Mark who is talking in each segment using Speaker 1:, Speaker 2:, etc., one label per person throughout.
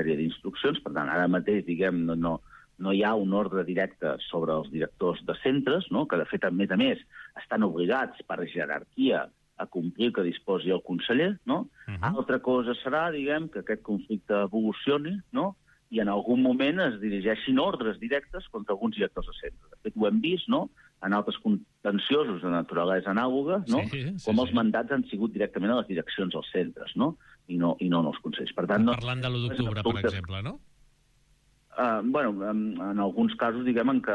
Speaker 1: sèrie d'instruccions. Per tant, ara mateix, diguem, no hi ha un ordre directe sobre els directors de centres, no? Que, de fet, a més, estan obligats per jerarquia a complir que disposi el conseller, no? Altra cosa serà, diguem, que aquest conflicte evolucioni, no? I en algun moment es dirigeixin ordres directes contra alguns directors de centre. De fet, ho hem vist, no?, en altres contenciosos de naturalesa anàloga, no? Com els mandats han sigut directament a les direccions dels centres, no? I no en els consells. Per tant,
Speaker 2: parlant de l'1 d'octubre, per exemple, no?
Speaker 1: En alguns casos, diguem, en què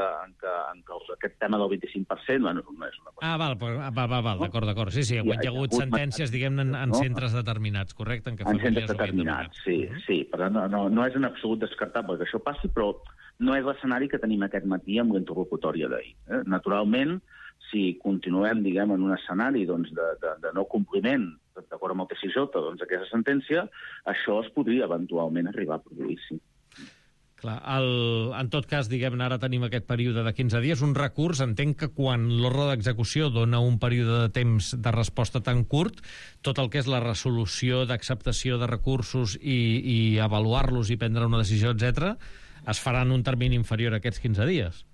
Speaker 1: aquest tema del 25%, no és una cosa.
Speaker 2: Val, d'acord. Sí, hi ha hagut sentències, diguem, en centres determinats, correcte?
Speaker 1: En centres determinats, sí. Per tant, no és en absolut descartable que això passi, però no és l'escenari que tenim aquest matí amb l'interlocutòria d'ahir. Naturalment, si continuem, diguem, en un escenari de no compliment, d'acord amb el TSJ, d'aquesta sentència, això es podria eventualment arribar a produir, sí.
Speaker 2: Clar, en tot cas, diguem, ara tenim aquest període de 15 dies, un recurs, entenc que quan l'ordre d'execució dona un període de temps de resposta tan curt, tot el que és la resolució d'acceptació de recursos i avaluar-los i prendre una decisió, etc., es farà en un termini inferior a aquests 15 dies.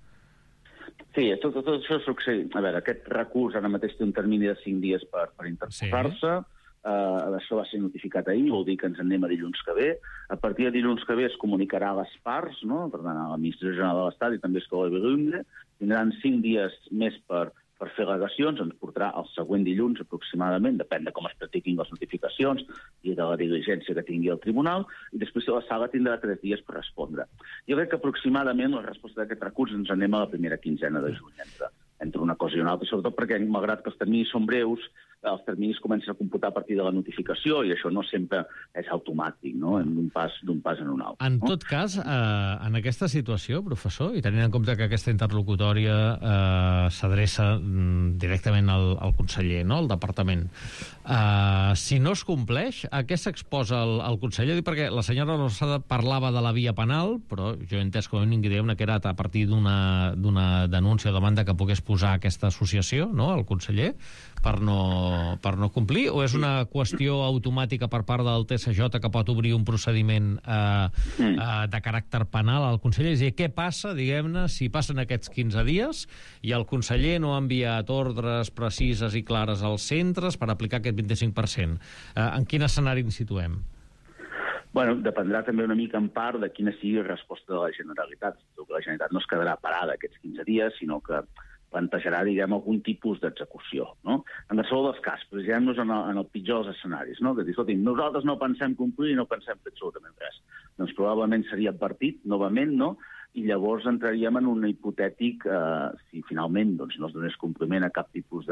Speaker 1: Sí, tot això succeeix. A veure, aquest recurs ara mateix té un termini de 5 dies per interposar-se. Això va ser notificat ahir, vol dir que ens anem a dilluns que ve. A partir de dilluns que ve es comunicarà a les parts, no? Per tant, a l'Administració General de l'Estat i també a Escola Bilingüe. Tindran 5 dies més per fer al·legacions, ens portarà el següent dilluns aproximadament, depèn de com es practiquin les notificacions i de la diligència que tingui el tribunal, i després la sala tindrà 3 dies per respondre. Jo crec que aproximadament la resposta d'aquest recurs ens anem a la primera quinzena de juny, entre una cosa i una altra, sobretot perquè, malgrat que els terminis són breus, els terminis comencen a computar a partir de la notificació i això no sempre és automàtic, no?, d'un pas en un altre.
Speaker 2: En tot cas, en aquesta situació, professor, i tenint en compte que aquesta interlocutòria s'adreça directament al conseller, no?, al departament, si no es compleix, a què s'exposa el conseller? Perquè la senyora Lozada parlava de la via penal, però jo he entès com a mínim que era a partir d'una denúncia o demanda que pogués posar aquesta associació, no?, el conseller, per no complir, o és una qüestió automàtica per part del TSJ que pot obrir un procediment de caràcter penal al conseller? És a dir, què passa, diguem-ne, si passen aquests 15 dies i el conseller no ha enviat ordres precises i clares als centres per aplicar aquest 25%? En quin escenari ens situem?
Speaker 1: Bueno, dependrà també una mica en part de quina sigui la resposta de la Generalitat. La Generalitat no es quedarà parada aquests 15 dies, sinó que plantejarà, diguem, algun tipus d'execució, no? En qualsevol dels casos, posem-nos en el pitjor dels escenaris, no? Que dir, escolti, nosaltres no pensem complir i no pensem fer absolutament res. Doncs probablement seria advertit, novament, no? I llavors entraríem en un hipotètic, si finalment no es donés compliment a cap tipus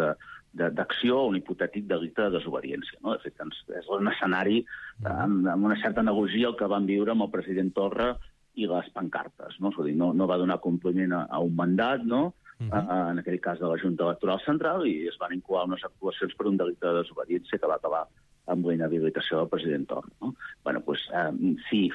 Speaker 1: d'acció, un hipotètic delicte de desobediència, no? De fet, és un escenari amb una certa analogia el que vam viure amb el president Torra i les pancartes, no? És a dir, no va donar compliment a un mandat, no?, en aquell cas de la Junta Electoral Central, i es van incoar unes actuacions per un delicte de desobediència que va acabar amb la inhabilitació del president Torra, no? Bueno, doncs, sí,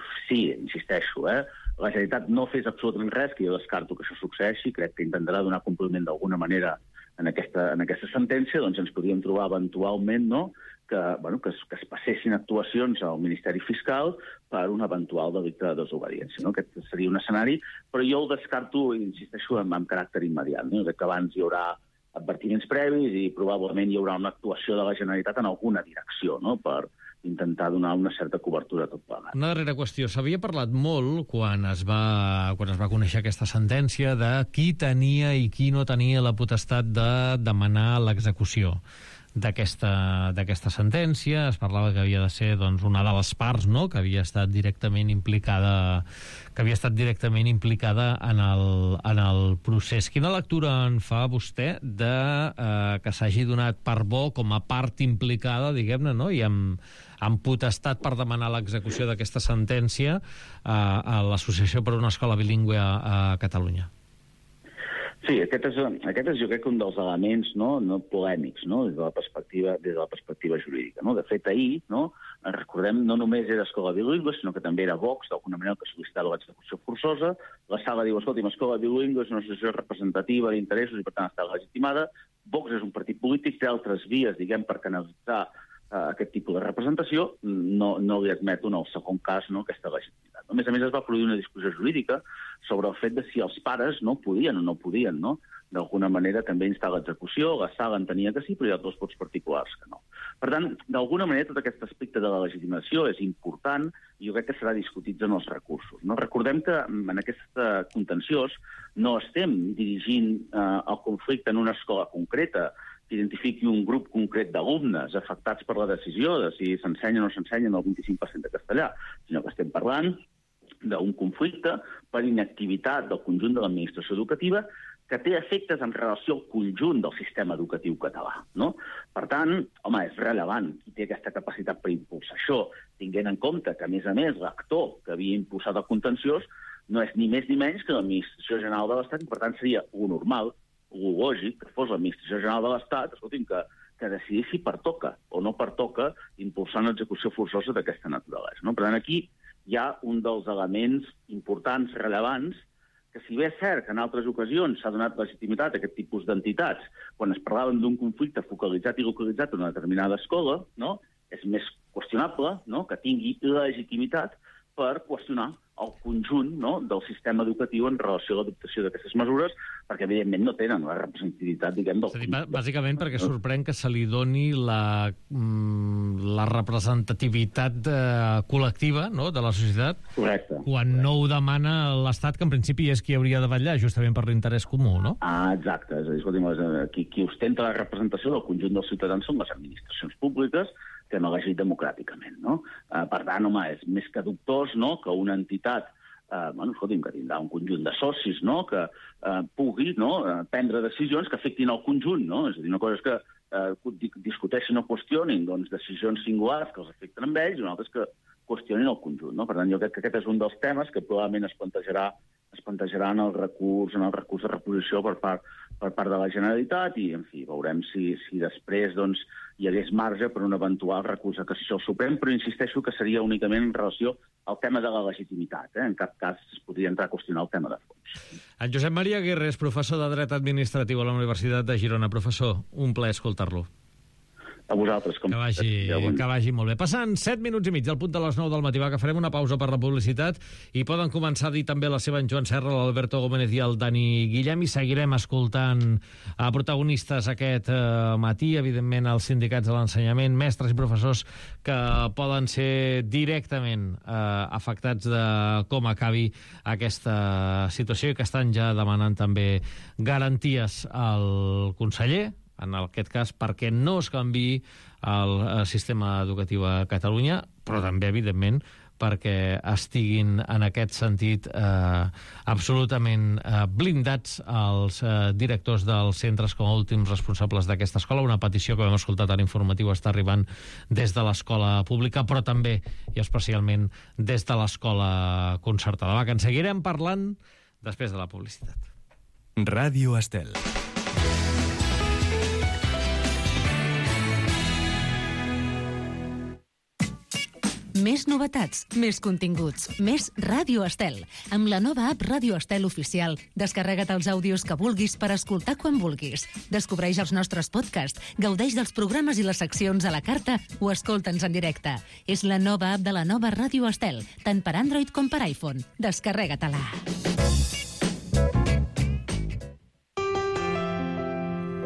Speaker 1: insisteixo, la Generalitat no fes absolutament res, que jo descarto que això succeeixi, crec que intentarà donar compliment d'alguna manera en aquesta sentència, doncs ens podríem trobar eventualment, no?, que es passessin actuacions al Ministeri Fiscal per un eventual delicte de desobediència, no? Aquest seria un escenari, però jo el descarto, insisteixo, amb caràcter immediat, no? Que abans hi haurà advertiments previs i probablement hi haurà una actuació de la Generalitat en alguna direcció, no?, per intentar donar una certa cobertura a tot plegat.
Speaker 2: Una darrera qüestió. S'havia parlat molt, quan es va conèixer aquesta sentència, de qui tenia i qui no tenia la potestat de demanar l'execució d'aquesta sentència. Es parlava que havia de ser, doncs, una de les parts, no?, que havia estat directament implicada en el procés. Quina lectura en fa vostè de que s'hagi donat per bo com a part implicada, diguem-ne, no?, i amb potestat per demanar l'execució d'aquesta sentència a l'Associació per una Escola Bilingüe a Catalunya?
Speaker 1: Sí, aquest és jo crec un dels elements no polèmics, no?, des de la perspectiva jurídica, no? De fet, ahir, no, recordem, no només era Escola Bilingüe, sinó que també era Vox, d'alguna manera, que sol·licitava l'execució forçosa. La sala diu, escolti, Escola Bilingüe és una associació representativa d'interessos i, per tant, està legitimada. Vox és un partit polític, té altres vies, diguem, per canalitzar aquest tipus de representació. No li admeto en el segon cas, no, aquesta legitimitat. A més, es va produir una discussió jurídica sobre el fet de si els pares no podien o no podien, no? D'alguna manera també instar l'execució, la sala entenia que sí, però hi ha dos vots particulars que no. Per tant, d'alguna manera, tot aquest aspecte de la legitimació és important i jo crec que serà discutit en els recursos. No? Recordem que en aquest contenciós no estem dirigint el conflicte en una escola concreta que identifiqui un grup concret d'alumnes afectats per la decisió de si s'ensenya o no s'ensenya el 25% de castellà, sinó que estem parlant d'un conflicte per inactivitat del conjunt de l'administració educativa que té efectes en relació al conjunt del sistema educatiu català. No? Per tant, home, és rellevant qui té aquesta capacitat per impulsar això, tinguent en compte que, a més, l'actor que havia impulsat el contenciós no és ni més ni menys que l'Administració General de l'Estat, i per tant seria lo normal, lo lògic, que fos l'Administració General de l'Estat, escolti'm, que decidís si pertoca o no pertoca impulsar una execució forçosa d'aquesta naturalesa. No? Per tant, aquí hi ha un dels elements importants, rellevants, que si bé és cert que en altres ocasions s'ha donat legitimitat a aquest tipus d'entitats, quan es parlaven d'un conflicte focalitzat i localitzat en una determinada escola, no? És més qüestionable, no? Que tingui legitimitat per qüestionar el conjunt, no? Del sistema educatiu en relació a l'adoptació d'aquestes mesures, perquè evidentment no tenen la representativitat, diguem, del
Speaker 2: conjunt. Bàsicament perquè sorprèn que se li doni la representativitat col·lectiva, no?, de la societat.
Speaker 1: Correcte.
Speaker 2: Quan no ho demana l'Estat, que en principi és qui hauria de vetllar justament per l'interès comú, no?
Speaker 1: Exacte. És a dir, escolti'm, qui ostenta la representació del conjunt dels ciutadans són les administracions públiques que hem elegit democràticament, no? Per tant, home, és més que dubtós, no?, que una entitat que tindrà un conjunt de socis, no?, que pugui, no?, prendre decisions que afectin el conjunt, no? És a dir, una cosa és que discuteixin o qüestionin, doncs, decisions singulars que els afecten amb ells, i una altra és que qüestionin el conjunt, no? Per tant, jo crec que aquest és un dels temes que probablement es plantejarà en el recurs de reposició per part de la Generalitat i, en fi, veurem si després, doncs, hi hagués marge per un eventual recurs de cassació al Suprem, però insisteixo que seria únicament en relació al tema de la legitimitat. En cap cas es podria entrar a qüestionar el tema de fons.
Speaker 2: En Josep Maria Aguirre és professor de Dret Administratiu a la Universitat de Girona. Professor, un plaer escoltar-lo.
Speaker 1: A vosaltres.
Speaker 2: Que vagi molt bé. Passant 7 minuts i mig al punt de les 9 del matí, que farem una pausa per la publicitat i poden començar a dir també la seva en Joan Serra, l'Alberto Gómez i el Dani Guillem, i seguirem escoltant a protagonistes aquest matí, evidentment els sindicats de l'ensenyament, mestres i professors que poden ser directament afectats de com acabi aquesta situació i que estan ja demanant també garanties al conseller, en aquest cas, perquè no es canviï el sistema educatiu a Catalunya, però també, evidentment, perquè estiguin, en aquest sentit, absolutament blindats els directors dels centres com a últims responsables d'aquesta escola. Una petició que hem escoltat a l'informatiu està arribant des de l'escola pública, però també i especialment des de l'escola concertada. Va, que en seguirem parlant després de la publicitat.
Speaker 3: Ràdio Estel.
Speaker 4: Més novetats, més continguts, més Ràdio Estel. Amb la nova app Ràdio Estel Oficial, descarrega't els àudios que vulguis per escoltar quan vulguis. Descobreix els nostres podcasts, gaudeix dels programes i les seccions a la carta o escolta'ns en directe. És la nova app de la nova Ràdio Estel, tant per Android com per iPhone. Descarrega-te-la.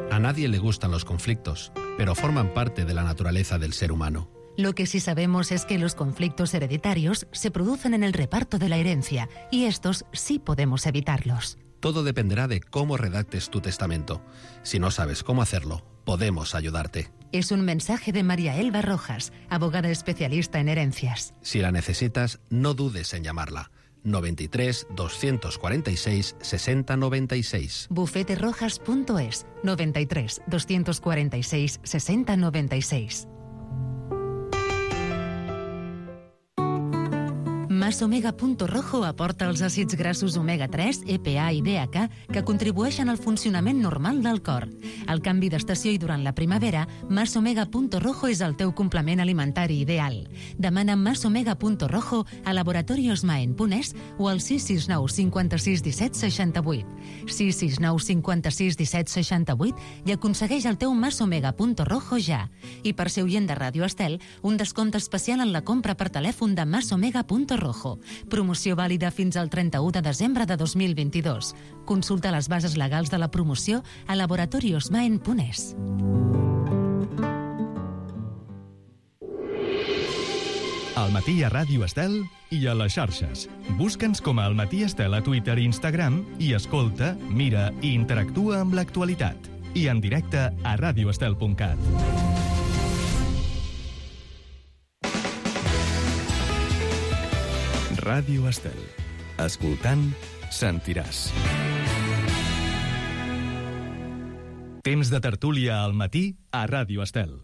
Speaker 5: A nadie le gustan los conflictos, pero forman parte de la naturaleza del ser humano.
Speaker 4: Lo que sí sabemos es que los conflictos hereditarios se producen en el reparto de la herencia y estos sí podemos evitarlos.
Speaker 5: Todo dependerá de cómo redactes tu testamento. Si no sabes cómo hacerlo, podemos ayudarte.
Speaker 4: Es un mensaje de María Elba Rojas, abogada especialista en herencias.
Speaker 5: Si la necesitas, no dudes en llamarla. 93 246 60 96.
Speaker 4: Bufeterojas.es 93 246 60 96. Masomega.rojo aporta els àcids grassos omega-3, EPA i DHA que contribueixen al funcionament normal del cor. Al canvi d'estació i durant la primavera, Masomega.rojo és el teu complement alimentari ideal. Demana Masomega.rojo a laboratoriosmaen.es o al 669 56 17 68. 669 56 17 68 i aconsegueix el teu Masomega.rojo ja. I per ser oient de Ràdio Estel, un descompte especial en la compra per telèfon de Masomega.rojo. Rojo. Promoció vàlida fins al 31 de desembre de 2022. Consulta les bases legals de la promoció a laboratoriosmaen.es.
Speaker 3: Al matí a Ràdio Estel i a les xarxes. Busca'ns com a Al matí Estel a Twitter i Instagram i escolta, mira i interactua amb l'actualitat. I en directe a radioestel.cat. Ràdio Estel. Escoltant, sentiràs. Temps de tertúlia al matí a Ràdio Estel.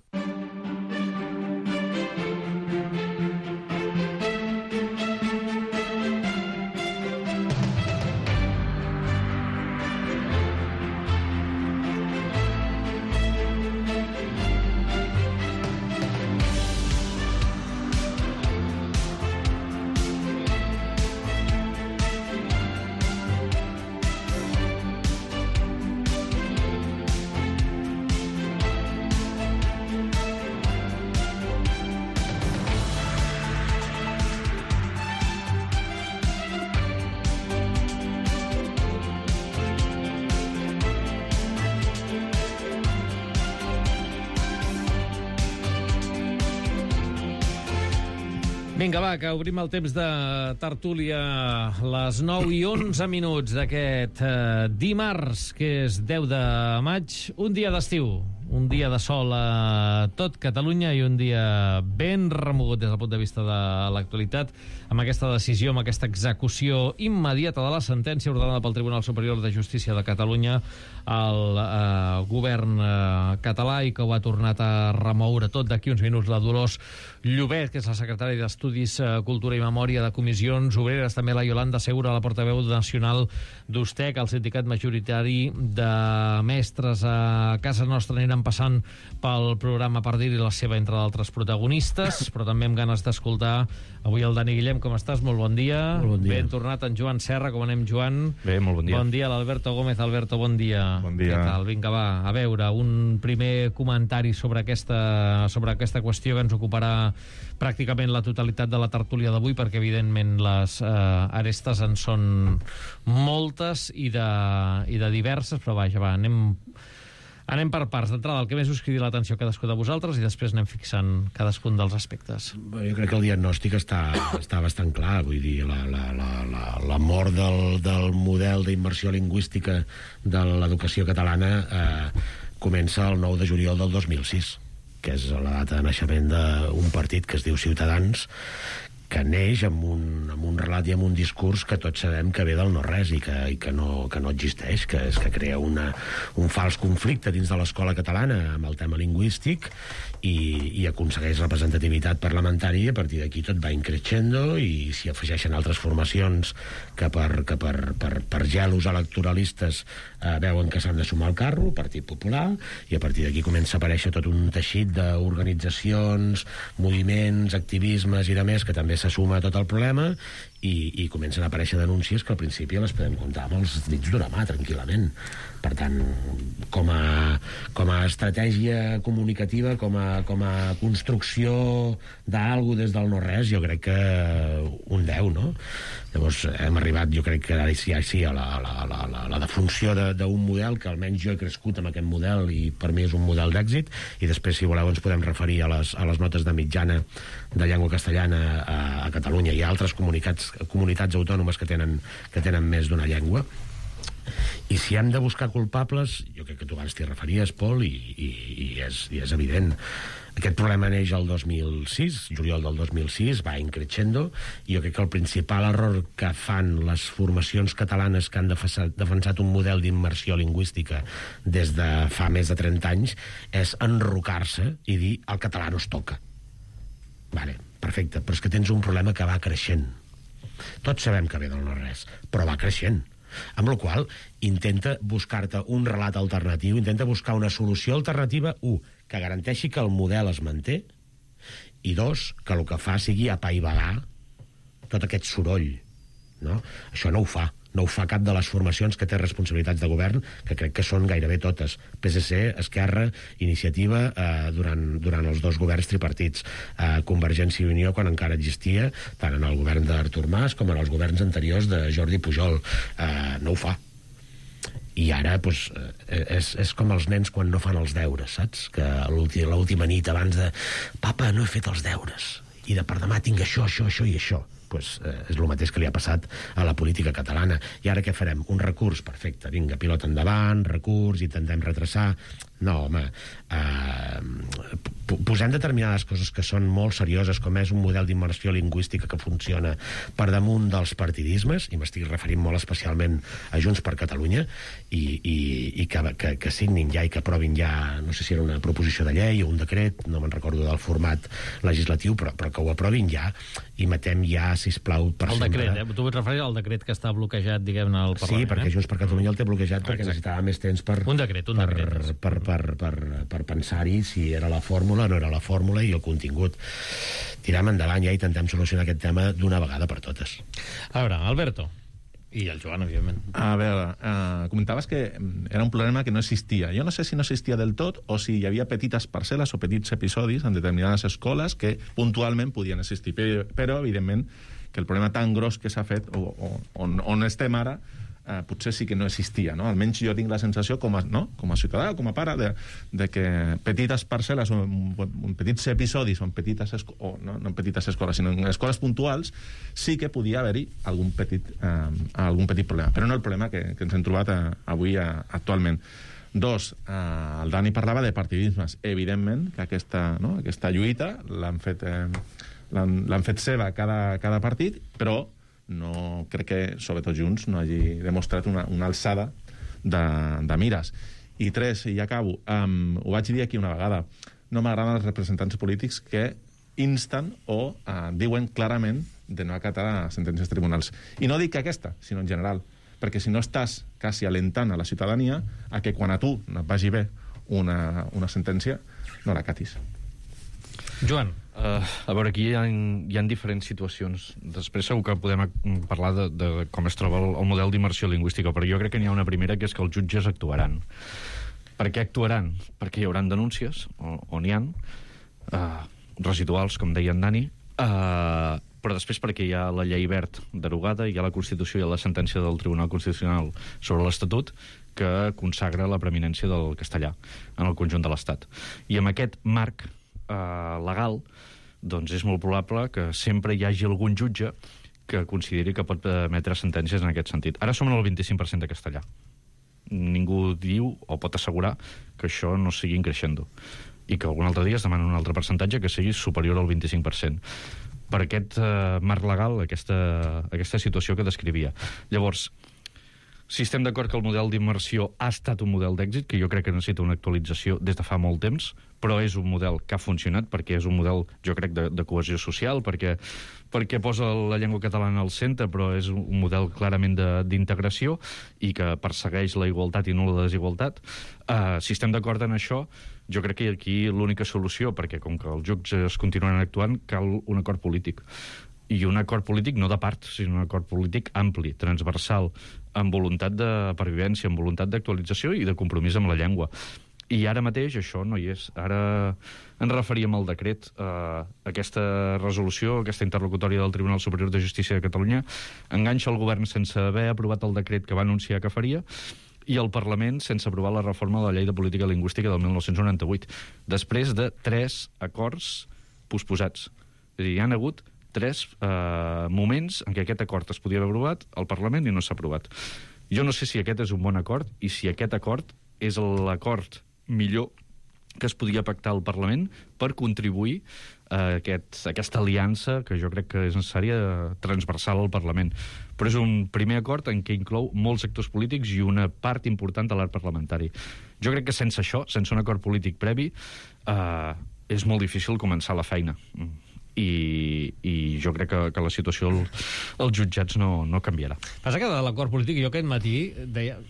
Speaker 2: Vinga, va, que obrim el temps de tertúlia a les 9 i 11 minuts d'aquest dimarts, que és 10 de maig, un dia d'estiu, un dia de sol a tot Catalunya i un dia ben remogut des del punt de vista de l'actualitat, amb aquesta decisió, amb aquesta execució immediata de la sentència ordenada pel Tribunal Superior de Justícia de Catalunya al govern català i que ho ha tornat a remoure tot d'aquí uns minuts la Dolors Llobet, que és la secretària d'Estudis, Cultura i Memòria de Comissions Obreres, també la Yolanda Segura, la portaveu nacional d'USTEC, el sindicat majoritari de mestres a casa nostra. Anirem passant pel programa per dir-hi la seva, entre d'altres protagonistes, però també amb ganes d'escoltar avui el Dani Guillem. Com estàs? Molt bon dia.
Speaker 6: Molt bon dia.
Speaker 2: Ben tornat en Joan Serra. Com anem, Joan?
Speaker 6: Bé, molt bon dia.
Speaker 2: Bon dia, l'Alberto Gómez. Alberto, bon dia.
Speaker 6: Bon dia.
Speaker 2: Què tal? Vinga, va, a veure, un primer comentari sobre aquesta qüestió que ens ocuparà pràcticament la totalitat de la tertúlia d'avui, perquè evidentment les arestes en són moltes i de diverses, però vaja, va, anem per parts. D'entrada, el que més us cridi l'atenció a cadascú de vosaltres i després anem fixant cadascun dels aspectes.
Speaker 7: Jo crec que el diagnòstic està bastant clar. Vull dir, la mort del model d'immersió lingüística de l'educació catalana comença el 9 de juliol del 2006, que és la data de naixement d'un partit que es diu Ciutadans, que neix amb un relat i amb un discurs que tots sabem que ve del no-res i que no existeix, que crea un fals conflicte dins de l'escola catalana amb el tema lingüístic i aconsegueix representativitat parlamentària, i a partir d'aquí tot va increixendo, i s'hi afegeixen altres formacions que per gelos electoralistes veuen que s'han de sumar al carro, Partit Popular, i a partir d'aquí comença a aparèixer tot un teixit d'organitzacions, moviments, activismes i de més, que també se suma a tot el problema, i comencen a aparèixer denúncies que al principi les podem comptar amb els dits d'una mà, tranquil·lament. Per tant, com a estratègia comunicativa, com a construcció d'algú des del no-res, jo crec que un 10, no? Llavors hem arribat, jo crec que ara sí, a la defunció d'un model, que almenys jo he crescut amb aquest model i per mi és un model d'èxit, i després, si voleu, ens podem referir a les notes de mitjana de llengua castellana a Catalunya i a altres comunitats autònomes que tenen més d'una llengua. I si hem de buscar culpables, jo crec que tu abans t'hi referies, Pol, i és evident. Aquest problema neix el 2006, juliol del 2006, va increixendo, i jo crec que el principal error que fan les formacions catalanes que han defensat un model d'immersió lingüística des de fa més de 30 anys és enrocar-se i dir el català no es toca. Vale, perfecte, però és que tens un problema que va creixent. Tots sabem que ve del no-res, però va creixent. Amb la qual cosa, intenta buscar-te un relat alternatiu, intenta buscar una solució alternativa, que garanteixi que el model es manté, i 2, que el que fa sigui apaivagar tot aquest soroll, no? Això no ho fa. No ho fa cap de les formacions que té responsabilitats de govern, que crec que són gairebé totes. PSC, Esquerra, Iniciativa, durant els 2 governs tripartits. Convergència i Unió, quan encara existia, tant en el govern d'Artur Mas com en els governs anteriors de Jordi Pujol. No ho fa. I ara doncs, és com els nens quan no fan els deures, saps? Que l'última nit abans de papa, no he fet els deures i de per demà tinc això i això. Pues, és el mateix que li ha passat a la política catalana. I ara què farem? Un recurs? Perfecte, vinga, pilota endavant, recurs, intentem retrasar. No, home, posem determinades coses que són molt serioses, com és un model d'immersió lingüística que funciona per damunt dels partidismes, i m'estic referint molt especialment a Junts per Catalunya, i que signin ja i que aprovin ja, no sé si era una proposició de llei o un decret, no me'n recordo del format legislatiu, però que ho aprovin ja, i matem ja, sisplau, per
Speaker 2: sempre... El decret, tu et referis al decret que està bloquejat, diguem-ne, al Parlament.
Speaker 7: Sí, perquè Junts per Catalunya el té bloquejat perquè necessitava més temps per...
Speaker 2: Un decret.
Speaker 7: Per pensar-hi si era la fórmula o no era la fórmula i el contingut. Tirem endavant ja i intentem solucionar aquest tema d'una vegada per totes.
Speaker 2: A veure, Alberto. I el Joan, evidentment.
Speaker 6: A veure, comentaves que era un problema que no existia. Jo no sé si no existia del tot o si hi havia petites parcel·les o petits episodis en determinades escoles que puntualment podien existir. Però evidentment, que el problema tan gros que s'ha fet on estem ara potser sí que no existia, no? Almenys jo tinc la sensació com a ciutadà, com a pare, de que petites parcel·les o petits episodis o en petites no en petites escoles, sinó en escoles puntuals, sí que podia haver-hi algun petit problema, però no el problema que ens hem trobat avui actualment. 2, el Dani parlava de partidismes. Evidentment que aquesta lluita l'han fet seva cada partit, però no crec que, sobretot Junts, no hagi demostrat una alçada de mires. I 3, i acabo, ho vaig dir aquí una vegada, no m'agraden els representants polítics que insten o diuen clarament de no acatar sentències tribunals. I no dic que aquesta, sinó en general, perquè si no estàs quasi alentant a la ciutadania a que quan a tu et vagi bé una sentència, no l'acatis.
Speaker 2: Joan.
Speaker 8: A veure, aquí hi ha diferents situacions. Després segur que podem parlar de com es troba el model d'immersió lingüística, però jo crec que n'hi ha una primera, que és que els jutges actuaran. Per què actuaran? Perquè hi haurà denúncies, o n'hi ha, residuals, com deia en Dani, però després perquè hi ha la llei Wert derogada, hi ha la Constitució i la sentència del Tribunal Constitucional sobre l'Estatut que consagra la preeminència del castellà en el conjunt de l'Estat. I amb aquest marc legal, doncs és molt probable que sempre hi hagi algun jutge que consideri que pot emetre sentències en aquest sentit. Ara som en el 25% de castellà. Ningú diu o pot assegurar que això no sigui creixent i que algun altre dia es demana un altre percentatge que sigui superior al 25%. Per aquest marc legal, aquesta situació que descrivia. Llavors, si estem d'acord que el model d'immersió ha estat un model d'èxit, que jo crec que necessita una actualització des de fa molt temps, però és un model que ha funcionat, perquè és un model, jo crec, de cohesió social, perquè posa la llengua catalana al centre, però és un model clarament d'integració i que persegueix la igualtat i no la desigualtat. Si estem d'acord en això, jo crec que aquí l'única solució, perquè com que els jutges continuen actuant, cal un acord polític. I un acord polític no de part, sinó un acord polític ampli, transversal, amb voluntat de pervivència, amb voluntat d'actualització i de compromís amb la llengua. I ara mateix això no hi és. Ara ens referíem al decret. Aquesta resolució, aquesta interlocutòria del Tribunal Superior de Justícia de Catalunya enganxa el govern sense haver aprovat el decret que va anunciar que faria i el Parlament sense aprovar la reforma de la Llei de Política Lingüística del 1998, després de 3 acords posposats. És a dir, hi ha hagut 3 moments en què aquest acord es podia haver aprovat al Parlament i no s'ha aprovat. Jo no sé si aquest és un bon acord i si aquest acord és l'acord millor que es podia pactar al Parlament per contribuir a aquesta aliança que jo crec que és necessària transversal al Parlament. Però és un primer acord en què inclou molts sectors polítics i una part important de l'art parlamentari. Jo crec que sense això, sense un acord polític previ, és molt difícil començar la feina. I jo crec que la situació als jutjats no canviarà.
Speaker 2: Passa que de l'acord polític, jo aquest matí deia...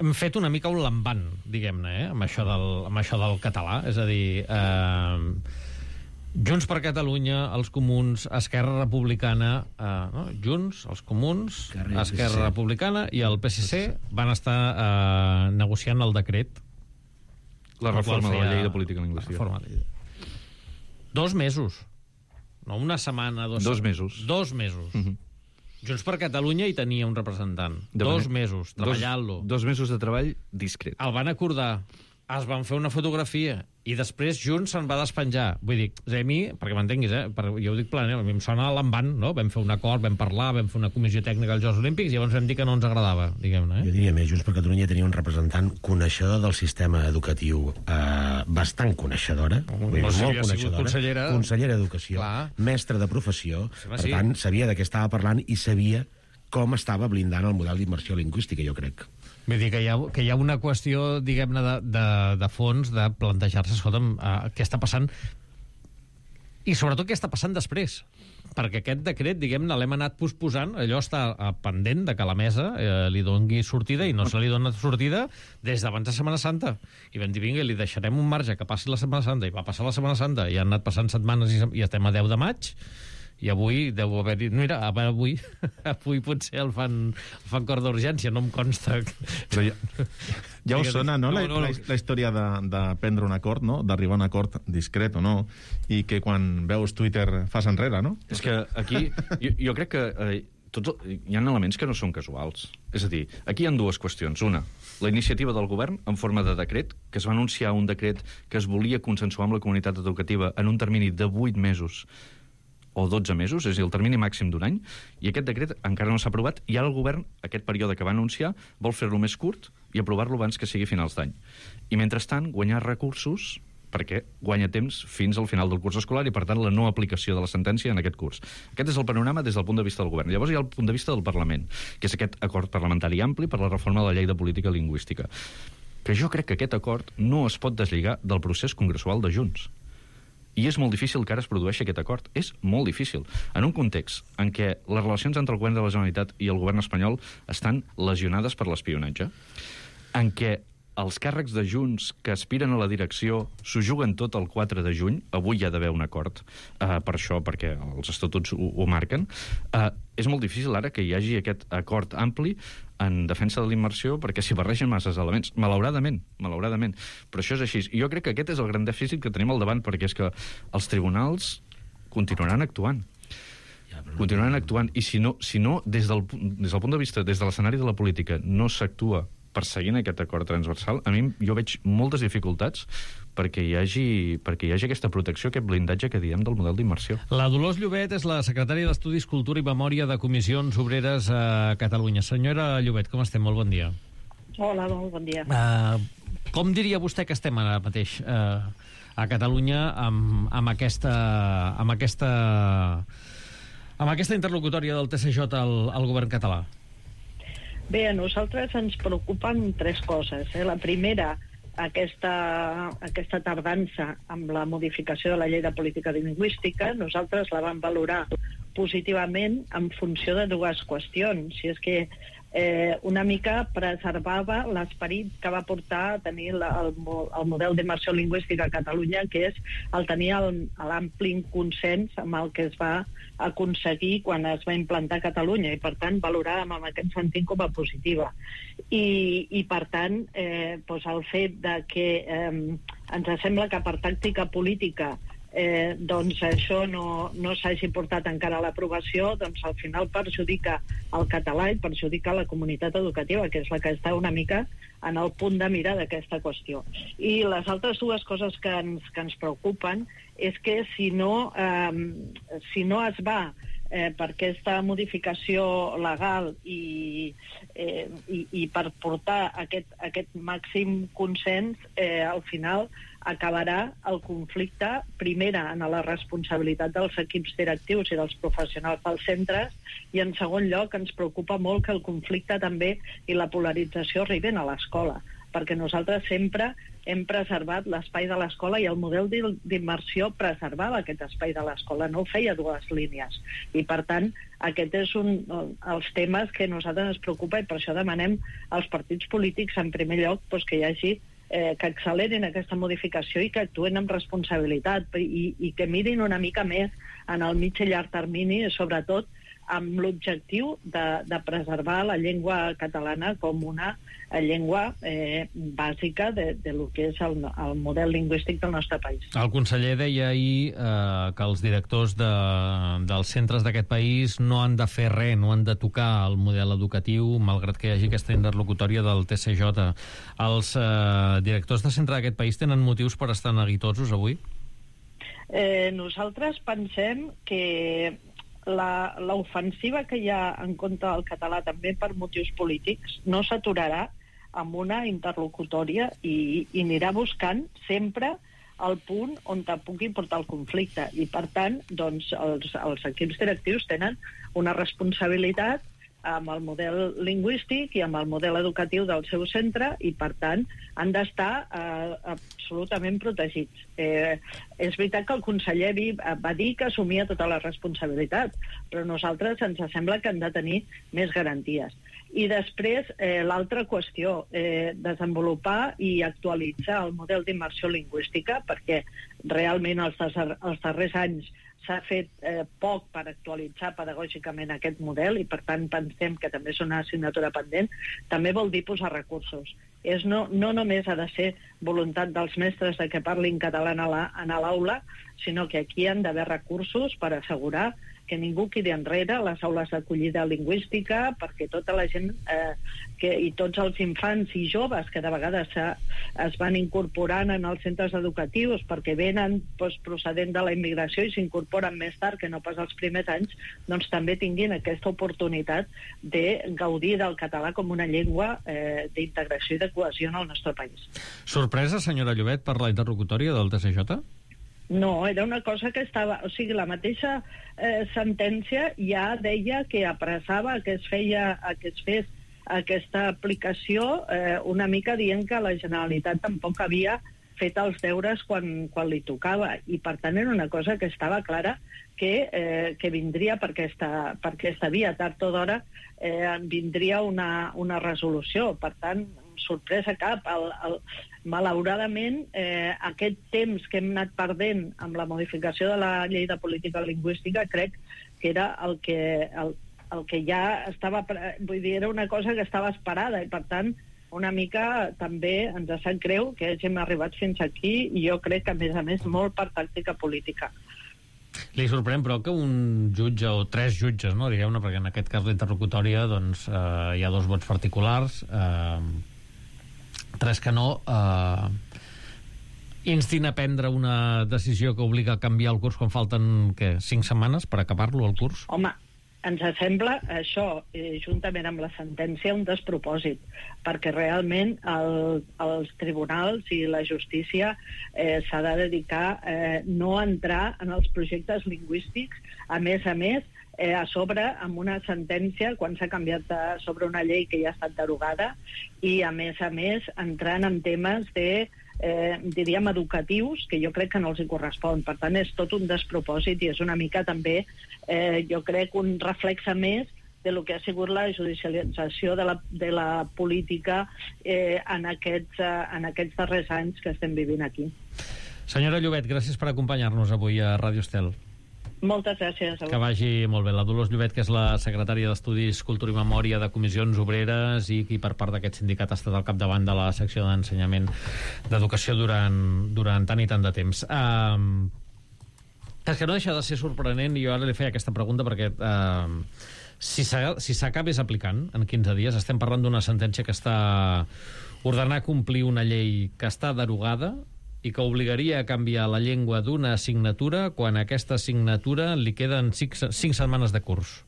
Speaker 2: Hem fet una mica un lambant, diguem-ne, amb això del català. És a dir, Junts per Catalunya, els Comuns, Esquerra Republicana, no? Junts, els Comuns, Esquerra Republicana i el PSC van estar negociant el decret.
Speaker 8: La reforma de la llei de política lingüística.
Speaker 2: 2 mesos. No una setmana,
Speaker 8: 2 mesos.
Speaker 2: 2 mesos. Junts per Catalunya hi tenia un representant. 2 mesos, treballant-lo.
Speaker 8: 2 mesos de treball discret.
Speaker 2: El van acordar, es van fer una fotografia i després Junts se'n va despenjar. Vull dir, a mi, perquè m'entenguis, jo ho dic planament, a mi em sona a l'envant, no? Vam fer un acord, vam parlar, vam fer una comissió tècnica als Jocs Olímpics i llavors vam dir que no ens agradava, diguem-ne.
Speaker 7: Jo diria més, Junts per Catalunya tenia un representant coneixedor del sistema educatiu, bastant coneixedora, molt coneixedora, consellera d'Educació, mestre de professió, per tant, sabia de què estava parlant i sabia com estava blindant el model d'immersió lingüística, jo crec.
Speaker 2: Vull dir que hi ha una qüestió, diguem-ne, de fons, de plantejar-se, escolta'm, què està passant i sobretot què està passant després. Perquè aquest decret, diguem-ne, l'hem anat posposant, allò està pendent de que la mesa li doni sortida i no se li dona sortida des d'abans de Setmana Santa. I vam dir, vinga, li deixarem un marge que passi la Setmana Santa, i va passar la Setmana Santa, i han anat passant setmanes i estem a 10 de maig, i avui deu haver-hi... Mira, avui potser el fan cor d'urgència, no em consta.
Speaker 6: Però ja us sona, no? La història de prendre un acord, no? D'arribar a un acord discret o no, i que quan veus Twitter fas enrere, no?
Speaker 8: És que aquí jo crec que hi ha elements que no són casuals. És a dir, aquí hi ha 2 qüestions. Una, la iniciativa del govern en forma de decret, que es va anunciar un decret que es volia consensuar amb la comunitat educativa en un termini de 8 mesos o 12 mesos, és a dir, el termini màxim d'un any, i aquest decret encara no s'ha aprovat, i ara el govern, aquest període que va anunciar, vol fer-lo més curt i aprovar-lo abans que sigui finals d'any. I mentrestant, guanyar recursos perquè guanya temps fins al final del curs escolar i, per tant, la no aplicació de la sentència en aquest curs. Aquest és el panorama des del punt de vista del govern. Llavors hi ha el punt de vista del Parlament, que és aquest acord parlamentari ampli per la reforma de la llei de política lingüística, que jo crec que aquest acord no es pot deslligar del procés congressual de Junts. I és molt difícil que ara es produeixi aquest acord. És molt difícil. En un context en què les relacions entre el govern de la Generalitat i el govern espanyol estan lesionades per l'espionatge, en què els càrrecs de Junts que aspiren a la direcció s'ho juguen tot el 4 de juny, avui hi ha d'haver un acord per això, perquè els estatuts ho marquen, és molt difícil ara que hi hagi aquest acord ampli en defensa de la immersió, perquè s'hi barregen masses elements, malauradament, però això és així. I jo crec que aquest és el gran dèficit que tenim al davant, perquè és que els tribunals continuaran actuant. I si no des del punt de vista, des de l'escenari de la política, no s'actua perseguint aquest acord transversal, a mi jo veig moltes dificultats perquè hi hagi aquesta protecció, aquest blindatge que diem del model d'immersió.
Speaker 2: La Dolors Llobet és la secretària d'Estudis, Cultura i Memòria de Comissions Obreres a Catalunya. Senyora Llobet, com estem? Molt bon dia.
Speaker 9: Hola, molt bon dia.
Speaker 2: Com diria vostè que estem ara mateix a Catalunya amb aquesta interlocutòria del TSJ al govern català?
Speaker 9: Bé, a nosaltres ens preocupen 3 coses. La primera, aquesta tardança amb la modificació de la llei de política lingüística. Nosaltres la vam valorar positivament en funció de 2 qüestions. Si és que una mica preservava l'esperit que va portar a tenir el model d'immersió lingüística a Catalunya, que és el tenir l'ampli consens amb el que es va aconseguir quan es va implantar a Catalunya, i per tant valoràvem en aquest sentit com a positiva. I per tant, el fet de que ens sembla que per tàctica política doncs això no s'hagi portat encara a l'aprovació, doncs al final perjudica el català i perjudica la comunitat educativa, que és la que està una mica en el punt de mira d'aquesta qüestió. I les altres 2 coses que ens preocupen és que si no es va per aquesta modificació legal i per portar aquest màxim consens, al final acabarà el conflicte, primera, en la responsabilitat dels equips directius i dels professionals dels centres, i en segon lloc ens preocupa molt que el conflicte també i la polarització arriben a l'escola, perquè nosaltres sempre hem preservat l'espai de l'escola i el model d'immersió preservava aquest espai de l'escola, no feia 2 línies. I, per tant, aquest és un dels temes que a nosaltres ens preocupa, i per això demanem als partits polítics, en primer lloc, que hi hagi que accelerin aquesta modificació i que actuen amb responsabilitat i que mirin una mica més en el mig i llarg termini, sobretot amb l'objectiu de preservar la llengua catalana com una llengua bàsica de lo que és el model lingüístic del nostre país.
Speaker 2: El conseller deia ahir que els directors dels centres d'aquest país no han de fer res, no han de tocar el model educatiu, malgrat que hi hagi aquesta interlocutòria del TCJ. Els directors de centre d'aquest país tenen motius per estar neguitosos avui?
Speaker 9: Nosaltres pensem que l'ofensiva que hi ha en contra del català també per motius polítics no s'aturarà amb una interlocutòria i anirà buscant sempre el punt on te pugui portar el conflicte. I, per tant, doncs, els equips directius tenen una responsabilitat amb el model lingüístic i amb el model educatiu del seu centre i, per tant, han d'estar absolutament protegits. És veritat que el conseller va dir que assumia tota la responsabilitat, però a nosaltres ens sembla que han de tenir més garanties. I després, l'altra qüestió, desenvolupar i actualitzar el model d'immersió lingüística, perquè realment els darrers anys s'ha fet poc per actualitzar pedagògicament aquest model i, per tant, pensem que també és una assignatura pendent. També vol dir posar recursos. No només ha de ser voluntat dels mestres de que parlin català a l'aula, sinó que aquí han d'haver recursos per assegurar que ningú quedi enrere a les aules d'acollida lingüística, perquè tota la gent i tots els infants i joves que de vegades es van incorporant en els centres educatius perquè venen procedent de la immigració i s'incorporen més tard que no pas els primers anys, doncs també tinguin aquesta oportunitat de gaudir del català com una llengua d'integració i de cohesió en el nostre país.
Speaker 2: Sorpresa, senyora Llobet, per la interlocutòria del TCJ?
Speaker 9: No, era una cosa que estava... O sigui, la mateixa sentència ja deia que apressava que es fes aquesta aplicació una mica dient que la Generalitat tampoc havia fet els deures quan li tocava. I, per tant, era una cosa que estava clara que vindria per aquesta via. Tard o d'hora vindria una resolució. Per tant, sorpresa cap. Malauradament, aquest temps que hem anat perdent amb la modificació de la llei de política lingüística crec que era el que ja estava... Vull dir, era una cosa que estava esperada i, per tant, una mica també ens sap greu que hàgim arribat fins aquí i jo crec que, a més, molt per tàctica política.
Speaker 2: Li sorprèn, però, que un jutge o 3 jutges, no, digueu-ne, perquè en aquest cas l'interlocutòria doncs, hi ha 2 vots particulars, 3 que no, instin a prendre una decisió que obliga a canviar el curs quan falten, 5 setmanes per acabar-lo, el curs?
Speaker 9: Home, ens sembla això, juntament amb la sentència, un despropòsit, perquè realment els tribunals i la justícia s'ha de dedicar no a entrar en els projectes lingüístics, a més, a sobre amb una sentència quan s'ha canviat sobre una llei que ja ha estat derogada i, a més, entrant en temes diríem, educatius, que jo crec que no els hi correspon. Per tant, és tot un despropòsit i és una mica també, jo crec, un reflexe més de lo que ha sigut la judicialització de la política en aquests darrers anys que estem vivint aquí.
Speaker 2: Senyora Llobet, gràcies per acompanyar-nos avui a Ràdio Estel.
Speaker 9: Moltes gràcies.
Speaker 2: Que vagi molt bé. La Dolors Llobet, que és la secretària d'Estudis, Cultura i Memòria de Comissions Obreres i qui per part d'aquest sindicat ha estat al capdavant de la secció d'ensenyament d'educació durant tant i tant de temps. És que no deixa de ser sorprenent, i jo ara li feia aquesta pregunta perquè si s'acabés aplicant en 15 dies, estem parlant d'una sentència que està ordenant complir una llei que està derogada i que obligaria a canviar la llengua d'una assignatura quan a aquesta assignatura li queden 5 setmanes de curs.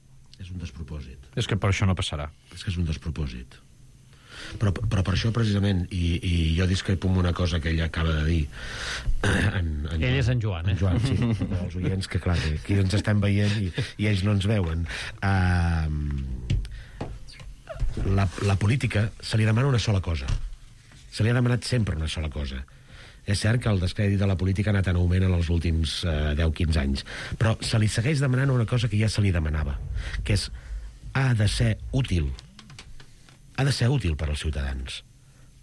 Speaker 7: És un despropòsit.
Speaker 8: És que per això no passarà.
Speaker 7: És que és un despropòsit. Però per això, precisament, i jo discrepo amb una cosa que ell acaba de dir...
Speaker 2: Ell és en Joan,
Speaker 7: En Joan, sí. Els oients, que clar, que aquí ens estem veient i ells no ens veuen. La política se li demana una sola cosa. Se li ha demanat sempre una sola cosa. És cert que el descrèdit de la política ha anat en augment en els últims 10-15 anys, però se li segueix demanant una cosa que ja se li demanava, que és ha de ser útil per als ciutadans.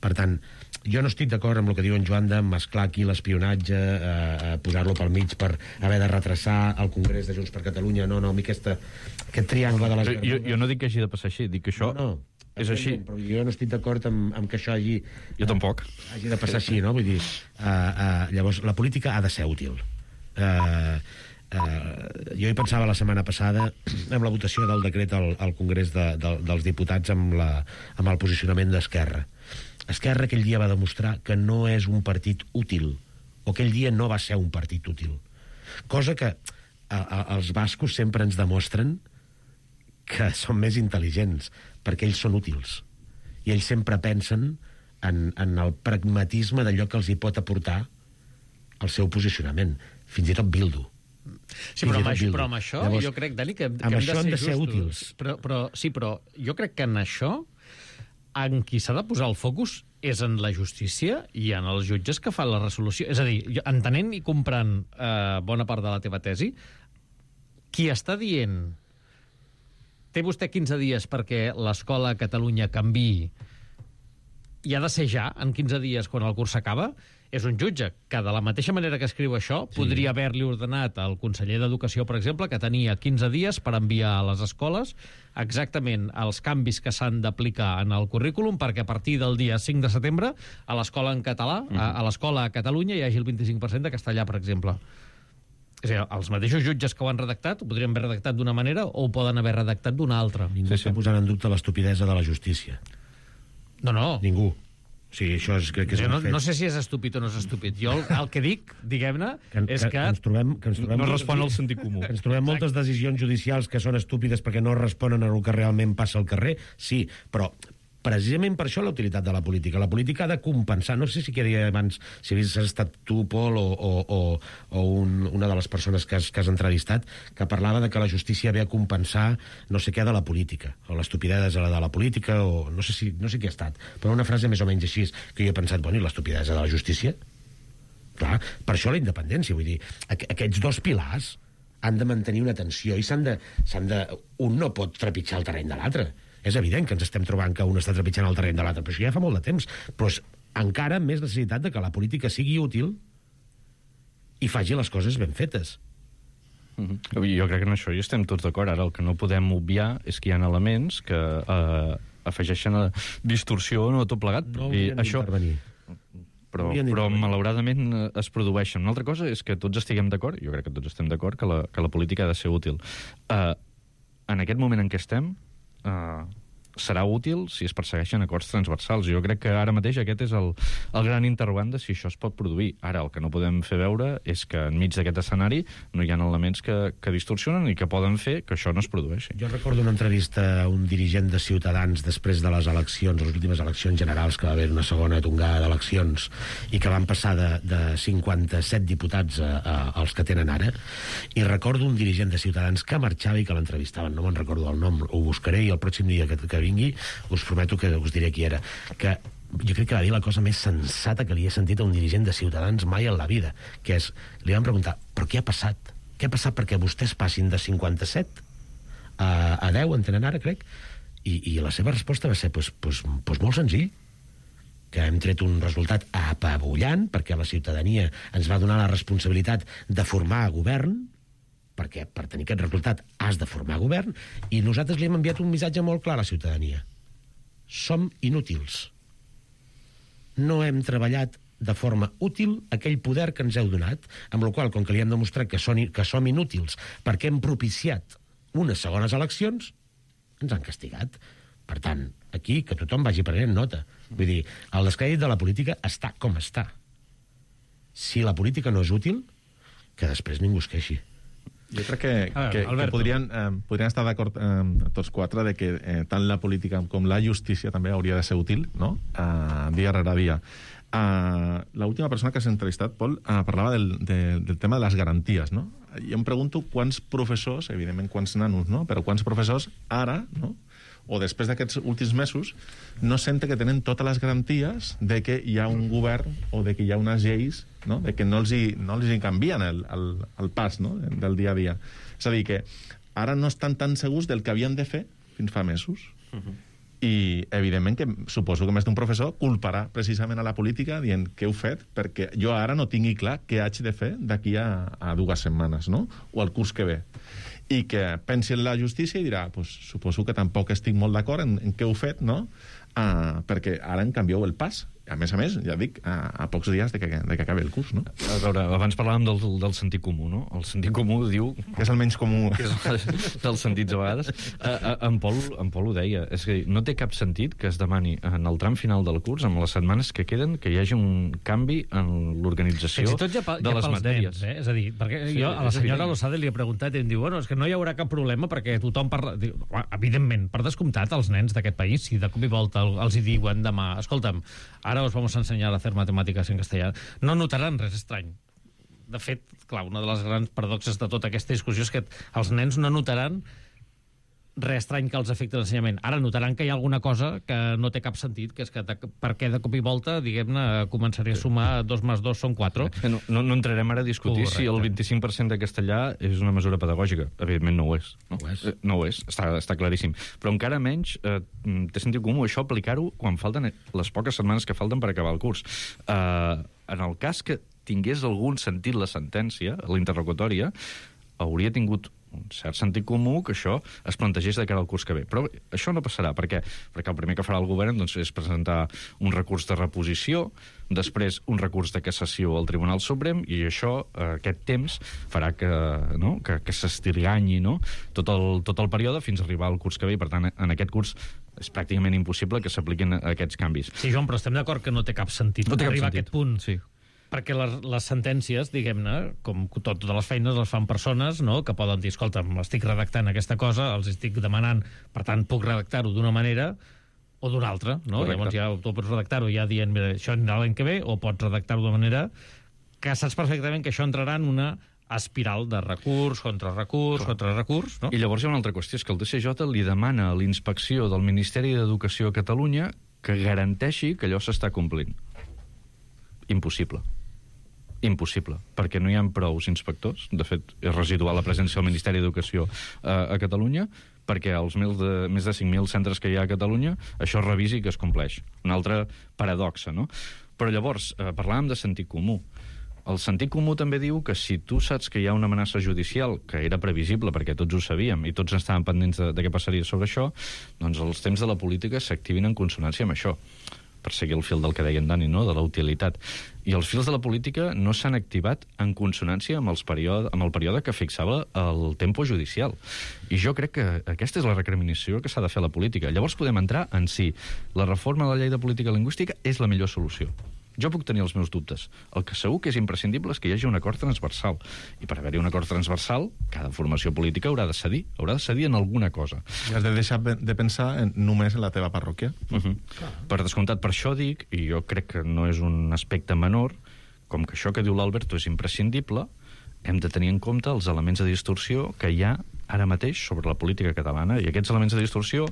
Speaker 7: Per tant, jo no estic d'acord amb el que diu en Joan de mesclar aquí l'espionatge, posar-lo pel mig per haver de retrasar el Congrés de Junts per Catalunya. No, a mi aquest triangle de les verdures...
Speaker 8: Jo no dic que hagi de passar així, dic que això és així.
Speaker 7: Però jo no estic d'acord amb que això hagi...
Speaker 8: Jo tampoc.
Speaker 7: Hagi de passar així, no? Vull dir, llavors, la política ha de ser útil. Jo hi pensava la setmana passada amb la votació del decret al Congrés dels Diputats amb el posicionament d'Esquerra. Esquerra aquell dia va demostrar que no és un partit útil, o aquell dia no va ser un partit útil. Cosa que els bascos sempre ens demostren que són més intel·ligents, perquè ells són útils. I ells sempre pensen en el pragmatisme d'allò que els hi pot aportar el seu posicionament. Fins i tot Bildu.
Speaker 2: Sí, però amb això llavors, jo crec, Dani, que hem de ser útils. Però jo crec que en això en qui s'ha de posar el focus és en la justícia i en els jutges que fan la resolució. És a dir, entenent i comprant bona part de la teva tesi, qui està dient té vostè 15 dies perquè l'escola a Catalunya canviï i ha de ser ja, en 15 dies, quan el curs s'acaba, és un jutge que, de la mateixa manera que escriu això, podria haver-li ordenat al conseller d'Educació, per exemple, que tenia 15 dies per enviar a les escoles exactament els canvis que s'han d'aplicar en el currículum perquè a partir del dia 5 de setembre a l'escola en català, a l'escola a Catalunya, hi hagi el 25% de castellà, per exemple. És a dir, els mateixos jutges que ho han redactat ho podrien haver redactat d'una manera o ho poden haver redactat d'una altra.
Speaker 7: Ningú està posant en dubte l'estupidesa de la justícia.
Speaker 2: No.
Speaker 7: Ningú. Sí, això crec que és un fet.
Speaker 2: No sé si és estúpid o no és estúpid. Jo el que dic, diguem-ne, és que...
Speaker 7: ens trobem
Speaker 8: no respon al sentit comú.
Speaker 7: Que ens trobem moltes decisions judicials que són estúpides perquè no responen a el que realment passa al carrer, sí, però precisament per això la utilitat de la política. La política ha de compensar. No sé si queria abans, si havies estat tu, Pol, o una de les persones que has entrevistat, que parlava de que la justícia havia de compensar no sé què de la política, o l'estupidesa de la política, o no sé qui ha estat, però una frase més o menys així, que jo he pensat, bueno, i l'estupidesa de la justícia? Clar, per això la independència, vull dir, aquests dos pilars han de mantenir una tensió i un no pot trepitjar el terreny de l'altre. És evident que ens estem trobant que un està trepitjant el terreny de l'altre, però això ja fa molt de temps. Però és encara més necessitat de que la política sigui útil i faci les coses ben fetes.
Speaker 8: Jo crec que en això hi estem tots d'acord. Ara el que no podem obviar és que hi ha elements que afegeixen a distorsió o tot plegat.
Speaker 7: No haurien d'intervenir.
Speaker 8: Però malauradament es produeixen. Una altra cosa és que tots estiguem d'acord, jo crec que tots estem d'acord, que la política ha de ser útil. En aquest moment en què estem, serà útil si es persegueixen acords transversals. Jo crec que ara mateix aquest és el gran interrogant de si això es pot produir. Ara, el que no podem fer veure és que enmig d'aquest escenari no hi ha elements que distorsionen i que poden fer que això no es produeixi.
Speaker 7: Jo recordo una entrevista a un dirigent de Ciutadans després de les eleccions, les últimes eleccions generals, que va haver una segona tongada d'eleccions i que van passar de 57 diputats als que tenen ara, i recordo un dirigent de Ciutadans que marxava i que l'entrevistaven, no me'n recordo el nom, ho buscaré i el pròxim dia que vingui us prometo que us diré qui era, que jo crec que va dir la cosa més sensata que li he sentit a un dirigent de Ciutadans mai en la vida, que és, li van preguntar, però què ha passat? Què ha passat perquè vostès passin de 57 a 10, en tenen ara, crec? I la seva resposta va ser, pues molt senzill, que hem tret un resultat apabullant, perquè la ciutadania ens va donar la responsabilitat de formar govern, perquè per tenir aquest resultat has de formar govern, i nosaltres li hem enviat un missatge molt clar a la ciutadania. Som inútils. No hem treballat de forma útil aquell poder que ens heu donat, amb la qual cosa, com que li hem demostrat que som inútils perquè hem propiciat unes segones eleccions, ens han castigat. Per tant, aquí, que tothom vagi prenent nota. Vull dir, el descrèdit de la política està com està. Si la política no és útil, que després ningú es queixi.
Speaker 6: Jo crec que podrien estar d'acord tots quatre de que tant la política com la justícia també hauria de ser útil, no? Dia rere dia. L'última persona que s'ha entrevistat, Pol, parlava del tema de les garanties, no? Jo em pregunto quants professors, evidentment quants nanos, no? Però quants professors ara, no? O després d'aquests últims mesos, no senten que tenen totes les garanties de que hi ha un govern o de que hi ha unes lleis, no? De que no els hi canvien el pas, no? Del dia a dia. És a dir, que ara no estan tan segurs del que havien de fer fins fa mesos. I, evidentment, que suposo que més d'un professor culparà precisament a la política dient què heu fet, perquè jo ara no tingui clar què haig de fer d'aquí a 2 setmanes, no? O al curs que ve. I que pensi en la justícia i dirà, pues, suposo que tampoc estic molt d'acord en què heu fet, no? Perquè ara en canvieu el pas. A més, ja dic, a pocs dies de que acabi el curs, no?
Speaker 8: A veure, abans parlàvem del sentit comú, no? El sentit comú diu...
Speaker 6: Que és el menys comú.
Speaker 8: Que és dels sentits, a vegades. En Pol ho deia. És que no té cap sentit que es demani en el tram final del curs, amb les setmanes que queden, que hi hagi un canvi en l'organització de les matèries.
Speaker 2: Nens, És a dir, perquè jo a la senyora Losada li he preguntat i em diu, bueno, és que no hi haurà cap problema perquè tothom parla... Evidentment, per descomptat, els nens d'aquest país, si de cop i volta els hi diuen demà, escolta'm, ara os vamos a enseñar a hacer matemáticas en castellà, no notaran res estrany. De fet, clar, una de les grans paradoxes de tota aquesta discussió és que els nens no notaran res estrany que els afecti l'ensenyament. Ara notaran que hi ha alguna cosa que no té cap sentit, que és que perquè de cop i volta, diguem-ne, començaré a sumar 2 més 2 són 4.
Speaker 8: No entrarem ara a discutir si el 25% de castellà és una mesura pedagògica. Evidentment no ho és. No ho és, està claríssim. Però encara menys té sentit comú això aplicar-ho quan falten les poques setmanes que falten per acabar el curs. En el cas que tingués algun sentit la sentència, l'interlocutòria, hauria tingut un cert sentit comú que això es plantegés de cara al curs que ve. Però això no passarà. Per què? Perquè el primer que farà el govern és presentar un recurs de reposició, després un recurs de cassació al Tribunal Suprem, i això, aquest temps, farà que s'estirganyi tot el període fins a arribar al curs que ve. I, per tant, en aquest curs és pràcticament impossible que s'apliquin aquests canvis.
Speaker 2: Sí, Joan, però estem d'acord que no té cap sentit arribar a aquest punt. Sí. Perquè les sentències, diguem-ne, com totes les feines les fan persones, no?, que poden dir, escolta, estic redactant aquesta cosa, els estic demanant, per tant, puc redactar-ho d'una manera o d'una altra, no? Correcte. Llavors ja tu pots redactar-ho ja dient, mira, això anirà l'any que ve, o pots redactar-ho d'una manera que saps perfectament que això entrarà en una espiral de recurs, contrarrecurs, no?
Speaker 8: I llavors hi ha una altra qüestió, és que el TCJ li demana a l'inspecció del Ministeri d'Educació a Catalunya que garanteixi que allò s'està complint. Impossible, perquè no hi ha prous inspectors. De fet, és residual la presència del Ministeri d'Educació a Catalunya, perquè als més de 5.000 centres que hi ha a Catalunya això es revisi i que es compleix. Una altra paradoxa, no? Però llavors, parlàvem de sentit comú. El sentit comú també diu que si tu saps que hi ha una amenaça judicial, que era previsible perquè tots ho sabíem i tots estàvem pendents de què passaria sobre això, doncs els temps de la política s'activin en consonància amb això, per seguir el fil del que deia en Dani, no?, de la utilitat. I els fils de la política no s'han activat en consonància amb el període que fixava el tempo judicial. I jo crec que aquesta és la recriminació que s'ha de fer a la política. Llavors podem entrar en si la reforma de la llei de política lingüística és la millor solució. Jo puc tenir els meus dubtes. El que segur que és imprescindible és que hi hagi un acord transversal. I per haver-hi un acord transversal, cada formació política haurà de cedir en alguna cosa.
Speaker 6: I has de deixar de pensar només en la teva parròquia.
Speaker 8: Per descomptat, per això dic, i jo crec que no és un aspecte menor, com que això que diu l'Alberto és imprescindible, hem de tenir en compte els elements de distorsió que hi ha ara mateix sobre la política catalana, i aquests elements de distorsió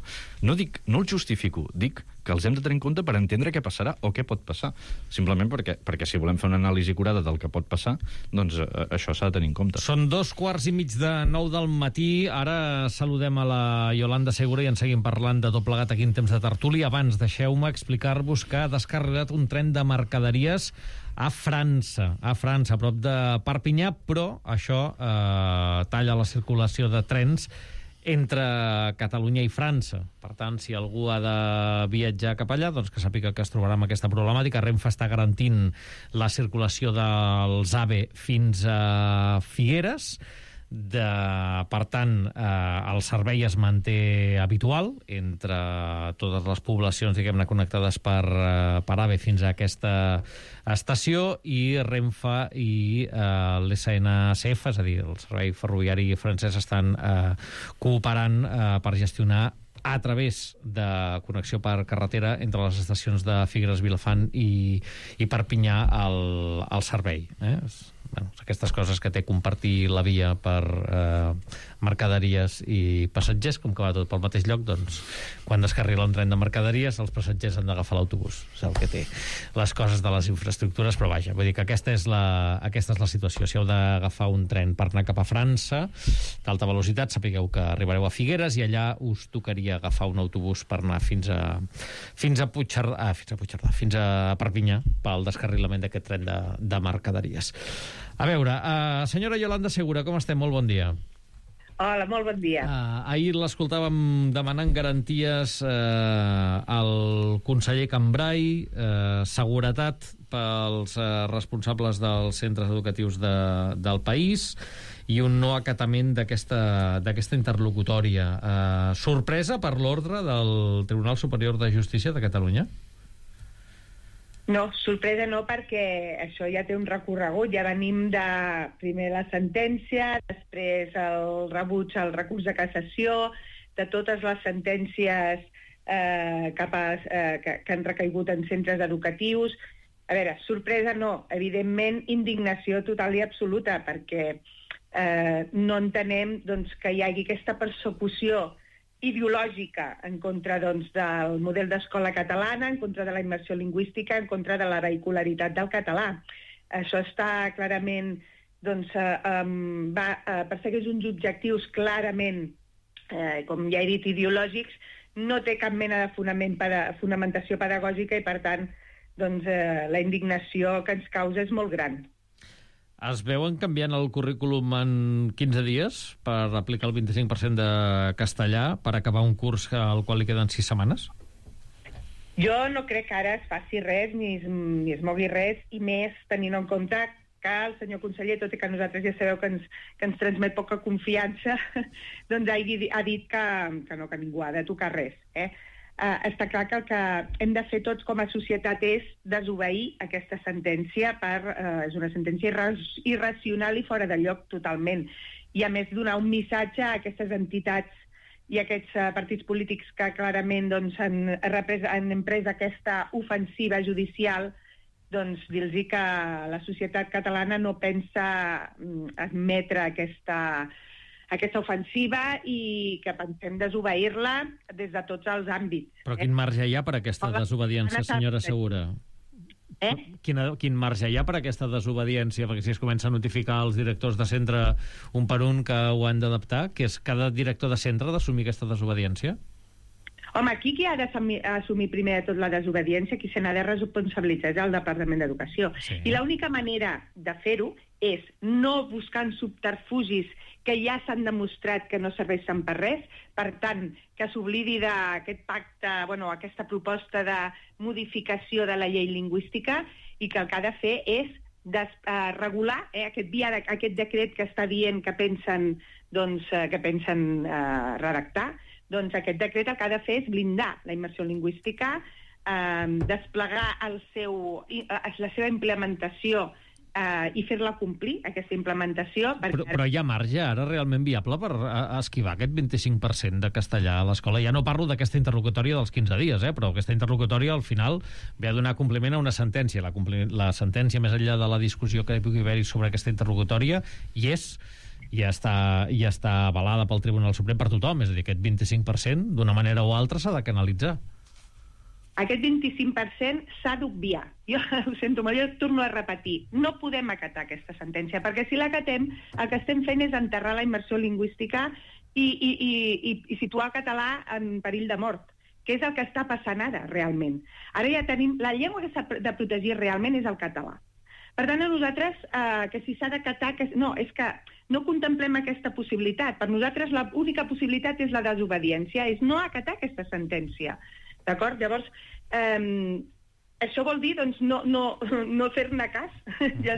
Speaker 8: no els justifico, dic que els hem de tenir en compte per entendre què passarà o què pot passar, simplement perquè si volem fer una anàlisi acurada del que pot passar, doncs això s'ha de tenir en compte.
Speaker 2: Són 8:45 del matí, ara saludem a la Yolanda Segura i en seguim parlant de tot plegat aquí en temps de tertúlia. Abans deixeu-me explicar-vos que ha descarregat un tren de mercaderies a França, a prop de Perpinyà, però això talla la circulació de trens entre Catalunya i França. Per tant, si algú ha de viatjar cap allà, doncs que sàpiga que es trobarà amb aquesta problemàtica. Renfe està garantint la circulació dels AVE fins a Figueres. Per tant, el servei es manté habitual entre totes les poblacions, diguem-ne, connectades per AVE fins a aquesta estació, i Renfe i l'SNCF, és a dir, el servei ferroviari francès, estan cooperant per gestionar a través de connexió per carretera entre les estacions de Figueres, Vilafant i Perpinyà el servei. aquestes coses que té compartir la via per mercaderies i passatgers, com que va tot pel mateix lloc, doncs quan descarrila un tren de mercaderies els passatgers han d'agafar l'autobús. És el que té les coses de les infraestructures, però vaja, vull dir que aquesta és la situació. Si heu d'agafar un tren per anar cap a França d'alta velocitat, sapigueu que arribareu a Figueres i allà us tocaria agafar un autobús per anar fins a Perpinyà pel descarrilament d'aquest tren de mercaderies. A veure, senyora Yolanda Segura, com estem? Molt bon dia.
Speaker 10: Hola, molt bon dia.
Speaker 2: Ahir l'escoltàvem demanant garanties al conseller Cambray, seguretat pels responsables dels centres educatius del país i un no acatament d'aquesta interlocutòria. Sorpresa per l'ordre del Tribunal Superior de Justícia de Catalunya?
Speaker 10: No, sorpresa no, perquè això ja té un recorregut. Ja venim de primer la sentència, després el rebuig al recurs de cassació, de totes les sentències que han recaigut en centres educatius. A veure, sorpresa no, evidentment indignació total i absoluta, perquè no entenem que hi hagi aquesta persecució ideològica en contra del model d'escola catalana, en contra de la immersió lingüística, en contra de la vehicularitat del català. Això està clarament, persegueix uns objectius clarament, com ja he dit, ideològics, no té cap mena de fonamentació pedagògica i, per tant, la indignació que ens causa és molt gran.
Speaker 2: Es veuen canviant el currículum en 15 dies per aplicar el 25% de castellà per acabar un curs al qual li queden 6 setmanes?
Speaker 10: Jo no crec que ara es faci res ni es mogui res, i més tenint en compte que el senyor conseller, tot i que nosaltres ja sabeu que ens transmet poca confiança, doncs ha dit que ningú ha de tocar res. Està clar que el que hem de fer tots com a societat és desobeir aquesta sentència. És una sentència irracional i fora de lloc totalment. I a més donar un missatge a aquestes entitats i a aquests partits polítics que clarament han emprès aquesta ofensiva judicial, dir-los que la societat catalana no pensa admetre aquesta ofensiva i que pensem desobeir-la des de tots els àmbits.
Speaker 2: Però quin marge hi ha per aquesta desobediència, senyora Segura? Quin marge hi ha per aquesta desobediència? Perquè si es comença a notificar als directors de centre un per un que ho han d'adaptar, que és cada director de centre d'assumir aquesta desobediència?
Speaker 10: Home, aquí qui ha d'assumir primer de tot la desobediència, qui se n'ha de responsabilitzar és el Departament d'Educació. Sí. I l'única manera de fer-ho és no buscant subterfugis que ja s'han demostrat que no serveixen per res, per tant, que s'oblidi d'aquest pacte, aquesta proposta de modificació de la llei lingüística, i que el que ha de fer és regular aquest decret que està dient que pensen redactar. Doncs aquest decret el que ha de fer és blindar la immersió lingüística, desplegar la seva implementació i fer-la complir, aquesta implementació.
Speaker 2: Però hi ha marge ara realment viable per esquivar aquest 25% de castellà a l'escola? Ja no parlo d'aquesta interlocutòria dels 15 dies, però aquesta interlocutòria al final ve a donar compliment a una sentència. La sentència, més enllà de la discussió que pugui haver-hi sobre aquesta interlocutòria, ja està avalada pel Tribunal Suprem per tothom, és a dir, aquest 25% d'una manera o altra s'ha de canalitzar.
Speaker 10: Aquest 25% s'ha d'obviar. Jo ho sento molt, jo torno a repetir. No podem acatar aquesta sentència, perquè si l'acatem, el que estem fent és enterrar la immersió lingüística i situar el català en perill de mort, que és el que està passant ara, realment. Ara ja tenim... La llengua que s'ha de protegir realment és el català. Per tant, a nosaltres, que si s'ha d'acatar... No, és que no contemplem aquesta possibilitat. Per nosaltres, l'única possibilitat és la desobediència, és no acatar aquesta sentència. D'acord? Llavors, això vol dir, doncs, no fer-ne cas.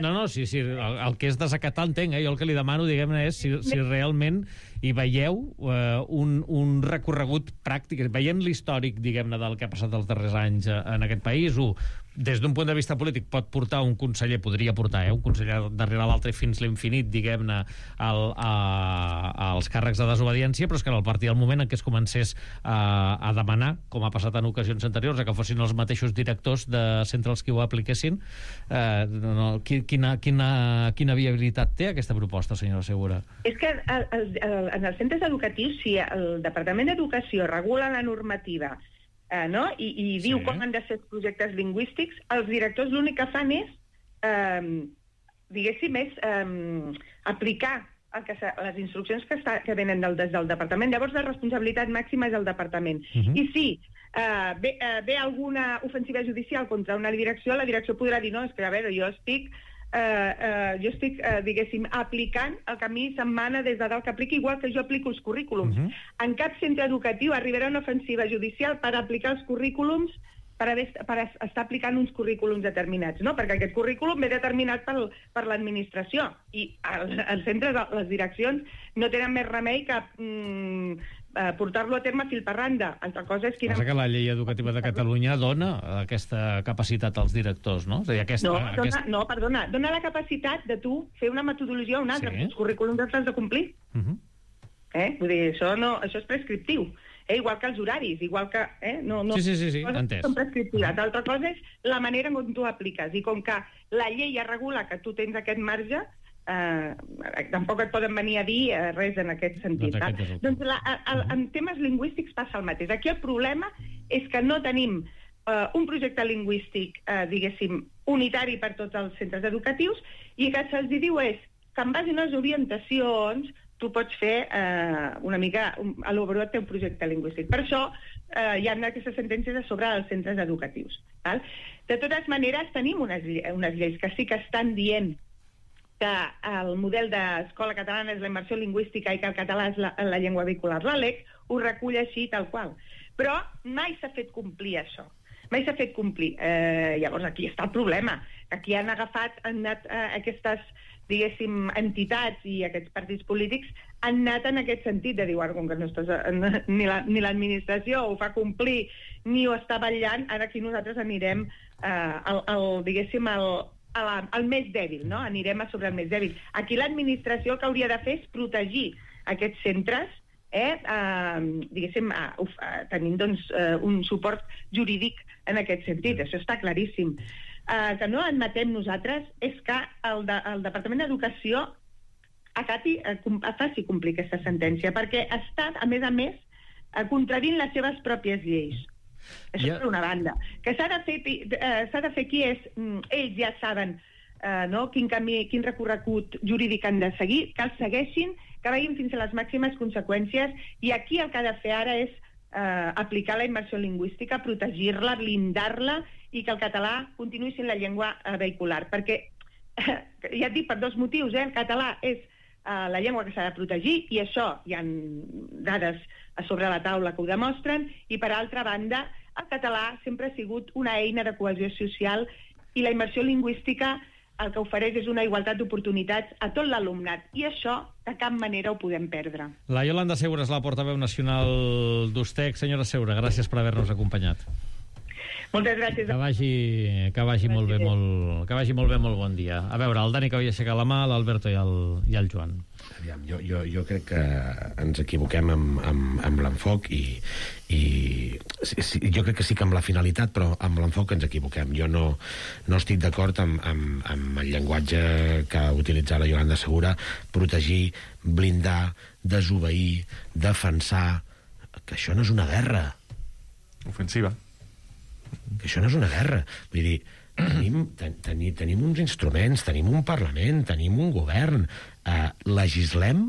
Speaker 2: No, sí, el que és desacatar entenc, Jo el que li demano, diguem-ne, és si realment i veieu un recorregut pràctic, veient l'històric, diguem-ne, del que ha passat els darrers anys en aquest país, des d'un punt de vista polític pot portar un conseller, podria portar un conseller darrere l'altre fins l'infinit, diguem-ne, als càrrecs de desobediència, però és que en el partit del moment en què es comencés a demanar, com ha passat en ocasions anteriors, que fossin els mateixos directors de centres qui ho apliquessin, quina viabilitat té aquesta proposta, senyora Segura?
Speaker 10: És que en els centres educatius, si el Departament d'Educació regula la normativa i diu com han de ser els projectes lingüístics, els directors l'únic que fan és, diguéssim, aplicar les instruccions que venen des del departament. Llavors, la responsabilitat màxima és del departament. I si ve alguna ofensiva judicial contra una direcció, la direcció podrà dir, no, és que, a veure, jo estic, diguéssim, aplicant el que a mi se'm mana des de dalt que apliqui, igual que jo aplico els currículums. En cap centre educatiu arribarà una ofensiva judicial per aplicar els currículums, per estar aplicant uns currículums determinats, no? Perquè aquest currículum ve determinat per l'administració i els centres, les direccions, no tenen més remei que portar-lo a terme fil per randa. Altra cosa és quina...
Speaker 2: Passa que la llei educativa de Catalunya dona aquesta capacitat als directors, no? És a dir,
Speaker 10: No, perdona, dona la capacitat de tu fer una metodologia o una altra. Els currículums els has de complir. Vull dir, això és prescriptiu. Igual que els horaris, igual que...
Speaker 2: Sí, entès.
Speaker 10: Són prescriptives. L'altra cosa és la manera en com tu apliques. I com que la llei ja regula que tu tens aquest marge, tampoc et poden venir a dir res en aquest sentit. Doncs en temes lingüístics passa el mateix. Aquí el problema és que no tenim un projecte lingüístic, diguéssim, unitari per tots els centres educatius i que se'ls diu és que en base a unes orientacions tu pots fer una mica elaborar el teu projecte lingüístic. Per això hi ha aquestes sentències sobre els centres educatius. De totes maneres, tenim unes lleis que sí que estan dient que el model d'escola catalana és la immersió lingüística i que el català és la llengua vehicular. La LEC ho recull així tal qual. Però mai s'ha fet complir això. Mai s'ha fet complir. Llavors aquí està el problema. Aquí han anat aquestes, diguéssim, entitats i aquests partits polítics han anat en aquest sentit de dir, com que ni l'administració ho fa complir ni ho està vetllant, ara aquí nosaltres anirem diguéssim, al més dèbil, no? Anirem a sobre el més dèbil. Aquí l'administració el que hauria de fer és protegir aquests centres, diguéssim, tenint un suport jurídic en aquest sentit. Això està claríssim. Que no admetem nosaltres és que el Departament d'Educació faci complir aquesta sentència, perquè està, a més, contradint les seves pròpies lleis. Això per una banda. Que s'ha de fer qui és... Ells ja saben quin recorregut jurídic han de seguir, que el segueixin, que vagin fins a les màximes conseqüències, i aquí el que ha de fer ara és aplicar la immersió lingüística, protegir-la, blindar-la, i que el català continuï sent la llengua vehicular. Perquè, ja et dic, per dos motius, el català és la llengua que s'ha de protegir, i això hi ha dades a sobre la taula que ho demostren, i per altra banda, el català sempre ha sigut una eina de cohesió social, i la immersió lingüística el que ofereix és una igualtat d'oportunitats a tot l'alumnat, i això de cap manera ho podem perdre.
Speaker 2: La Yolanda Segura és la portaveu nacional d'USTEC. Senyora Segura, gràcies per haver-nos acompanyat.
Speaker 10: Moltes gràcies.
Speaker 2: Que vagi molt bé, molt bon dia. A veure, el Dani que havia aixecat la mà, l'Alberto i el Joan.
Speaker 7: Aviam, jo crec que ens equivoquem amb l'enfoc i jo crec que sí que amb la finalitat, però amb l'enfoc ens equivoquem. Jo no estic d'acord amb el llenguatge que ha utilitzat la Yolanda Segura, protegir, blindar, desobeir, defensar, que això no és una guerra.
Speaker 6: Ofensiva.
Speaker 7: Que això no és una guerra. Vull dir, tenim uns instruments, tenim un Parlament, tenim un govern. Legislem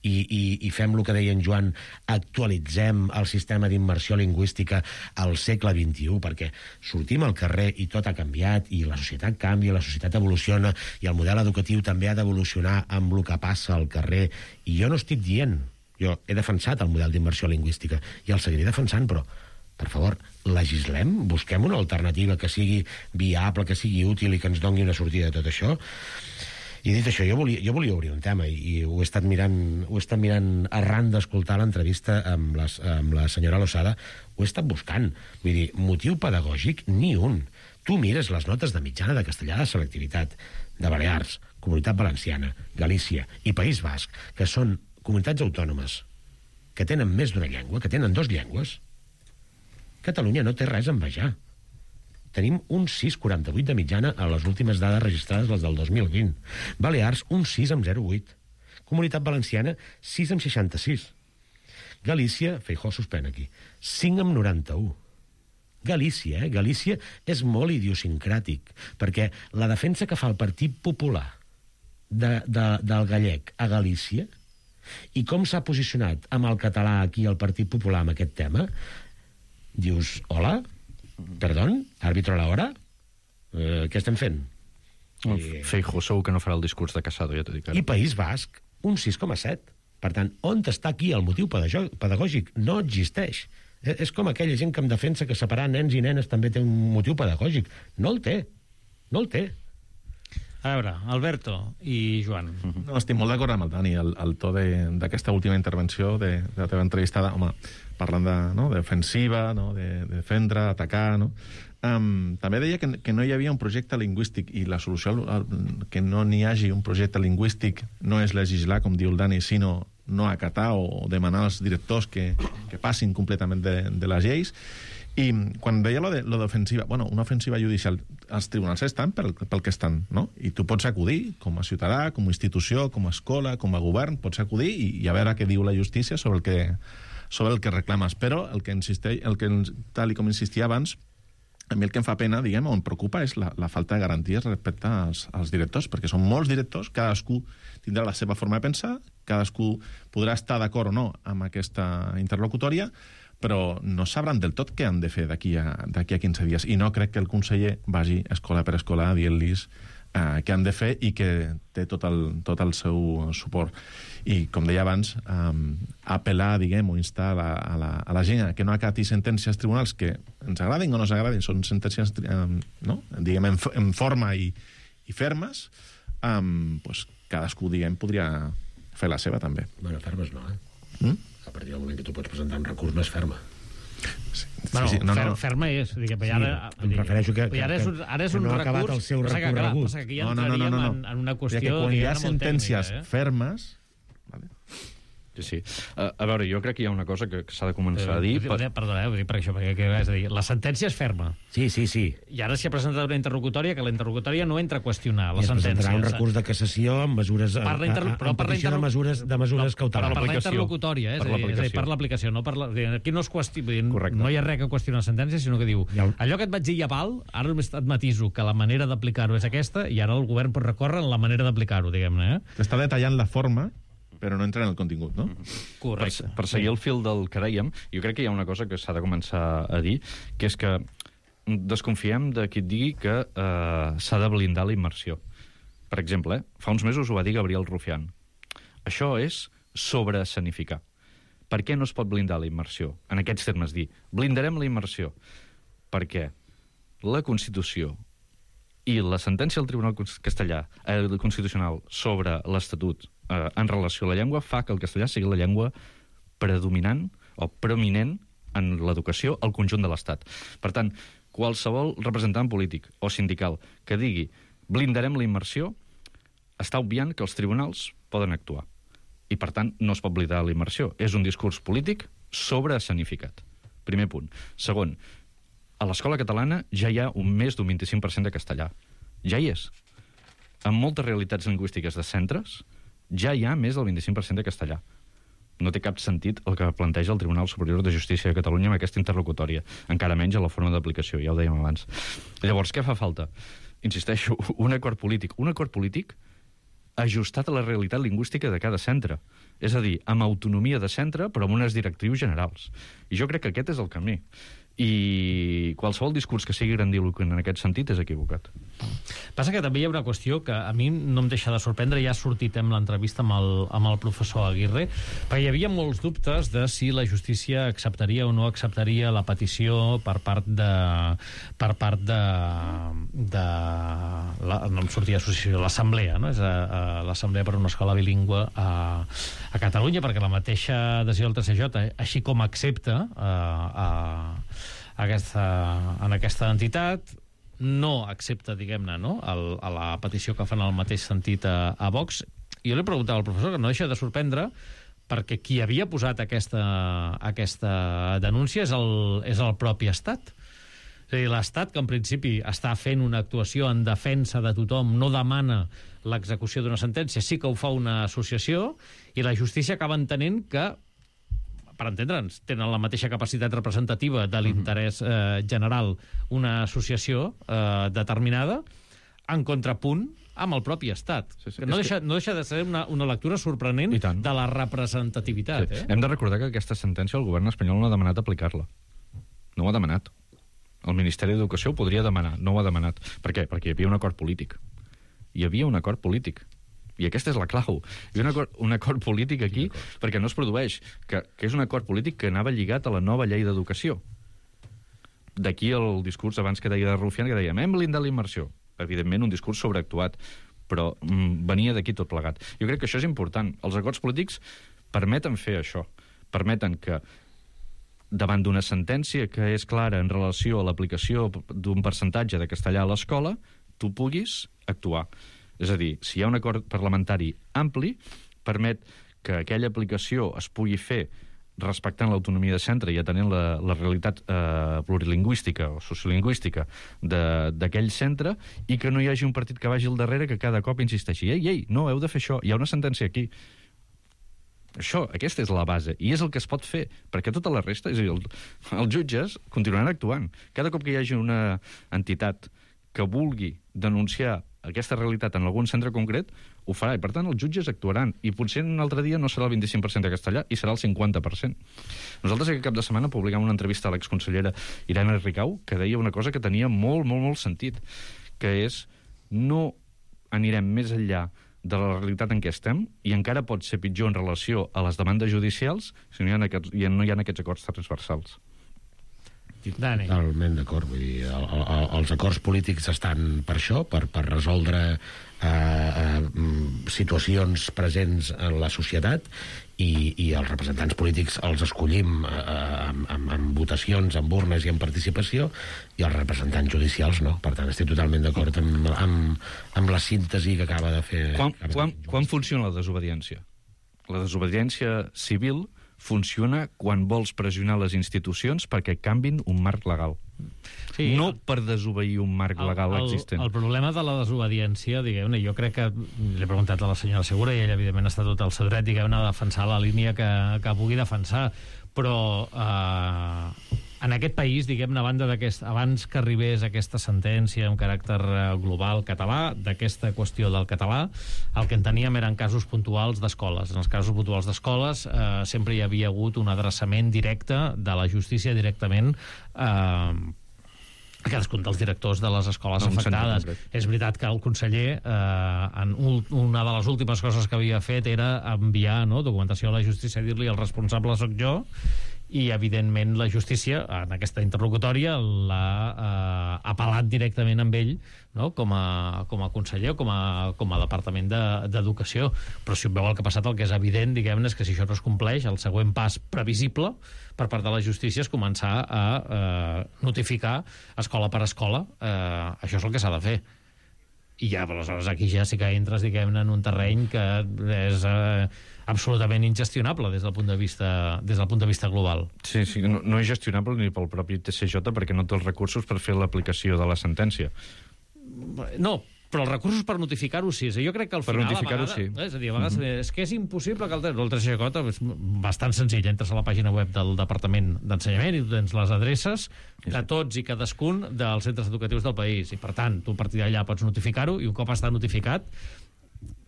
Speaker 7: i fem el que deia en Joan, actualitzem el sistema d'immersió lingüística al segle XXI, perquè sortim al carrer i tot ha canviat, i la societat canvia, la societat evoluciona, i el model educatiu també ha d'evolucionar amb el que passa al carrer. I jo no estic dient... Jo he defensat el model d'immersió lingüística i el seguiré defensant, però, per favor, legislem, busquem una alternativa que sigui viable, que sigui útil i que ens doni una sortida de tot això. I dit això, jo volia obrir un tema i ho he estat mirant arran d'escoltar l'entrevista amb la senyora Losada, ho he estat buscant. Vull dir, motiu pedagògic, ni un. Tu mires les notes de mitjana de castellà de selectivitat de Balears, Comunitat Valenciana, Galícia i País Basc, que són comunitats autònomes que tenen més d'una llengua, que tenen 2 llengües. Catalunya no té res a envejar. Tenim un 6,48 de mitjana a les últimes dades registrades, les del 2020. Balears, un 6,08. Comunitat Valenciana, 6,66. Galícia, Feijóo suspèn aquí, 5,91. Galícia, Galícia és molt idiosincràtic, perquè la defensa que fa el Partit Popular del gallec a Galícia i com s'ha posicionat amb el català aquí el Partit Popular amb aquest tema, dius, hola, perdón, àrbitro a l'hora? Què estem fent?
Speaker 8: Feijóo segur que no farà el discurs de Casado, ja t'ho dic ara.
Speaker 7: I País Basc, un 6,7. Per tant, on està aquí el motiu pedagògic? No existeix. És com aquella gent que em defensa que separar nens i nenes també té un motiu pedagògic. No el té. No el té.
Speaker 2: A veure, Alberto i Joan.
Speaker 6: No, estic molt d'acord amb el Dani. El to d'aquesta última intervenció de la teva entrevistada, home, parlant d'ofensiva, de defendre, atacar, no? També deia que no hi havia un projecte lingüístic i la solució que no n'hi hagi un projecte lingüístic no és legislar, com diu el Dani, sinó no acatar o demanar als directors que passin completament de les lleis. I quan deia lo d'ofensiva, bueno, una ofensiva judicial, els tribunals estan pel que estan, no? I tu pots acudir, com a ciutadà, com a institució, com a escola, com a govern, pots acudir i a veure què diu la justícia sobre el que reclames. Però tal com insistia abans, a mi el que em fa pena, diguem, o em preocupa, és la falta de garanties respecte als directors, perquè són molts directors, cadascú tindrà la seva forma de pensar, cadascú podrà estar d'acord o no amb aquesta interlocutòria, però no sabran del tot què han de fer d'aquí a 15 dies. I no crec que el conseller vagi escola per escola dient-los què han de fer i que té tot el seu suport. I, com deia abans, apel·lar, diguem, o instar a la gent que no acati sentències tribunals que ens agradin o no ens agradin, són sentències, diguem, en forma i fermes, doncs cadascú, diguem, podria fer la seva, també.
Speaker 7: Bueno, fermes no, A partir del moment que tu pots presentar un recurs més ferma.
Speaker 2: Ferma és.
Speaker 7: Em refereixo que no ha acabat el seu recorregut.
Speaker 2: Passa que aquí ja entraríem en una qüestió...
Speaker 6: Quan hi ha sentències fermes...
Speaker 8: Sí. A veure, jo crec que hi ha una cosa que s'ha de començar a dir...
Speaker 2: Perdona, per això, perquè és a dir, la sentència és ferma.
Speaker 7: Sí.
Speaker 2: I ara s'hi ha presentat una interlocutòria que la interlocutòria no entra a qüestionar la sentència.
Speaker 7: I es presentarà un recurs de cassació amb mesures... en petició de mesures cautelars.
Speaker 2: Per la interlocutòria, és a dir, per l'aplicació. Aquí no hi ha res que qüestionar la sentència, sinó que diu allò que et vaig dir ja val, ara et matiso que la manera d'aplicar-ho és aquesta i ara el govern pot recórrer en la manera d'aplicar-ho, diguem-ne.
Speaker 6: T'està detallant la forma, però no entra en el contingut, no?
Speaker 2: Correcte.
Speaker 8: Per seguir el fil del que dèiem, jo crec que hi ha una cosa que s'ha de començar a dir, que és que desconfiem de qui et digui que s'ha de blindar la immersió. Per exemple, fa uns mesos ho va dir Gabriel Rufián. Això és sobreescenificar. Per què no es pot blindar la immersió? En aquests termes, dir, blindarem la immersió. Perquè la Constitució i la sentència del Tribunal Constitucional sobre l'Estatut en relació a la llengua fa que el castellà sigui la llengua predominant o prominent en l'educació al conjunt de l'Estat. Per tant, qualsevol representant polític o sindical que digui blindarem la immersió està obviant que els tribunals poden actuar. I, per tant, no es pot blindar la immersió. És un discurs polític sobreescenificat. Primer punt. Segon, a l'escola catalana ja hi ha més d'un 25% de castellà. Ja hi és. En moltes realitats lingüístiques de centres ja hi ha més del 25% de castellà. No té cap sentit el que planteja el Tribunal Superior de Justícia de Catalunya amb aquesta interlocutòria. Encara menys a la forma d'aplicació, ja ho dèiem abans. Llavors, què fa falta? Insisteixo, un acord polític. Un acord polític ajustat a la realitat lingüística de cada centre. És a dir, amb autonomia de centre, però amb unes directrius generals. I jo crec que aquest és el camí. I qualsevol discurs que sigui grandiloquent en aquest sentit és equivocat.
Speaker 2: Passa que també hi ha una qüestió que a mi no em deixa de sorprendre, ja ha sortit en l'entrevista amb el professor Aguirre, perquè hi havia molts dubtes de si la justícia acceptaria o no acceptaria la petició per part de no em sortia associació, l'Assemblea, no? És l'Assemblea per una escola bilingüe a Catalunya, perquè la mateixa adhesió del TCJ, així com accepta en aquesta entitat, no accepta, diguem-ne, no? A la petició que fan al mateix sentit a Vox. Jo li preguntava al professor, que no deixa de sorprendre, perquè qui havia posat aquesta denúncia és el propi Estat. És a dir, l'Estat, que en principi està fent una actuació en defensa de tothom, no demana l'execució d'una sentència, sí que ho fa una associació, i la justícia acaba entenent que, per entendre'ns, tenen la mateixa capacitat representativa de l'interès general una associació determinada, en contrapunt amb el propi Estat. Sí. No deixa de ser una lectura sorprenent de la representativitat.
Speaker 8: Sí. Hem de recordar que aquesta sentència el govern espanyol no ha demanat aplicar-la. No ho ha demanat. El Ministeri d'Educació ho podria demanar, no ho ha demanat. Per què? Perquè hi havia un acord polític. Hi havia un acord polític. I aquesta és la clau. Hi ha un acord polític aquí perquè no es produeix, que és un acord polític que anava lligat a la nova llei d'educació. D'aquí el discurs abans que deia de Rufián, que dèiem, hem blindat la immersió. Evidentment, un discurs sobreactuat, però venia d'aquí tot plegat. Jo crec que això és important. Els acords polítics permeten fer això. Permeten que, davant d'una sentència que és clara en relació a l'aplicació d'un percentatge de castellà a l'escola, tu puguis actuar. És a dir, si hi ha un acord parlamentari ampli, permet que aquella aplicació es pugui fer respectant l'autonomia de centre i atenent la realitat plurilingüística o sociolingüística d'aquell centre, i que no hi hagi un partit que vagi al darrere que cada cop insisteixi ei, no, heu de fer això, hi ha una sentència aquí. Aquesta és la base, i és el que es pot fer, perquè tota la resta, és a dir, els jutges continuaran actuant. Cada cop que hi hagi una entitat que vulgui denunciar aquesta realitat en algun centre concret, ho farà, i per tant els jutges actuaran, i potser un altre dia no serà el 25% de castellà i serà el 50%. Nosaltres aquest cap de setmana publicam una entrevista a l'exconsellera Irene Rigau, que deia una cosa que tenia molt, molt, molt sentit, que és no anirem més enllà de la realitat en què estem, i encara pot ser pitjor en relació a les demandes judicials si no hi ha aquests acords transversals.
Speaker 2: Dani.
Speaker 7: Totalment d'acord. Vull dir, els acords polítics estan per això, per resoldre situacions presents en la societat, i els representants polítics els escollim en votacions, en urnes i en participació, i els representants judicials no. Per tant, estic totalment d'acord amb la síntesi que acaba de fer.
Speaker 8: Quan funciona la desobediència? La desobediència civil funciona quan vols pressionar les institucions perquè canvin un marc legal. Sí, no per desobeir un marc legal existent.
Speaker 2: El problema de la desobediència, diguem-ne, jo crec que l'he preguntat a la senyora Segura i ella, evidentment, està tot el seu dret, diguem-ne, a defensar la línia que pugui defensar, però en aquest país, diguem-ne, abans que arribés aquesta sentència amb caràcter global català, d'aquesta qüestió del català, el que en teníem eren casos puntuals d'escoles. En els casos puntuals d'escoles sempre hi havia hagut un adreçament directe de la justícia directament a cadascun dels directors de les escoles afectades. És veritat que el conseller, una de les últimes coses que havia fet era enviar documentació a la justícia, dir-li el responsable soc jo, i evidentment la justícia en aquesta interlocutòria l'ha apel·lat directament amb ell, no? com a conseller o com a departament d'educació. Però si veu el que ha passat, el que és evident, diguem-ne, és que si això no es compleix, el següent pas previsible per part de la justícia és començar a notificar escola per escola. Això és el que s'ha de fer. I ja, aleshores, aquí ja sí que entres, diguem-ne, en un terreny que és absolutament ingestionable des del punt de vista global.
Speaker 8: Sí, no és gestionable ni pel propi TCJ perquè no té els recursos per fer l'aplicació de la sentència.
Speaker 2: No, però els recursos per notificar-ho sí. Jo crec que al final, a vegades,
Speaker 8: sí.
Speaker 2: És a dir, a vegades és que és impossible que el TCJ és bastant senzill. Entres a la pàgina web del Departament d'Ensenyament i tu tens les adreces de tots i cadascun dels centres educatius del país. I, per tant, tu a partir d'allà pots notificar-ho, i un cop està notificat,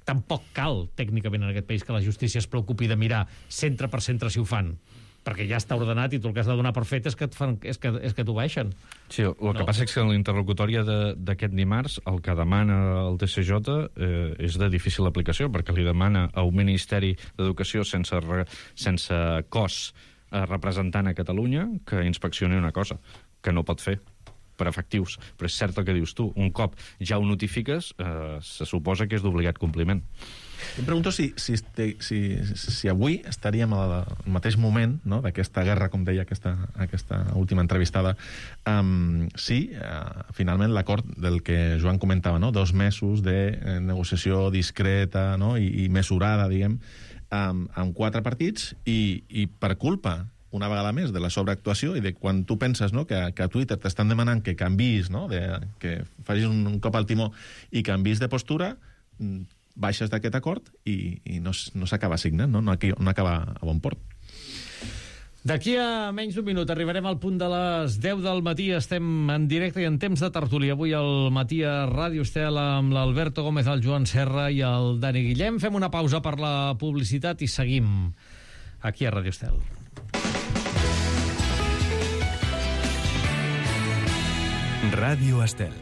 Speaker 2: tampoc cal, tècnicament, en aquest país, que la justícia es preocupi de mirar centre per centre si ho fan. perquè ja està ordenat i tu el que has de donar per fet és que t'ho baixen.
Speaker 8: Sí, el que passa és que en la interlocutòria d'aquest dimarts el que demana el TCJ és de difícil aplicació, perquè li demana a un Ministeri d'Educació sense cos representant a Catalunya que inspeccioni una cosa que no pot fer per efectius. Però és cert el que dius tu, un cop ja ho notifiques, se suposa que és d'obligat compliment.
Speaker 6: Em pregunto si avui estaríem al mateix moment, no?, d'aquesta guerra, com deia aquesta última entrevistada, finalment l'acord del que Joan comentava, no?, 2 mesos de negociació discreta, no?, i mesurada, diguem, amb 4 partits, i per culpa una vegada més de la sobreactuació i de quan tu penses, no?, que a Twitter t'estan demanant que canvis, no?, que facis un cop al timó i canvis de postura, baixes d'aquest acord i no s'acaba signant, no acaba a bon port.
Speaker 2: D'aquí a menys d'un minut arribarem al punt de les 10 del matí. Estem en directe i en temps de tertúlia. Avui al matí a Ràdio Estel amb l'Alberto Gómez, el Joan Serra i el Dani Guillem. Fem una pausa per la publicitat i seguim aquí a Ràdio Estel.
Speaker 3: Ràdio Estel.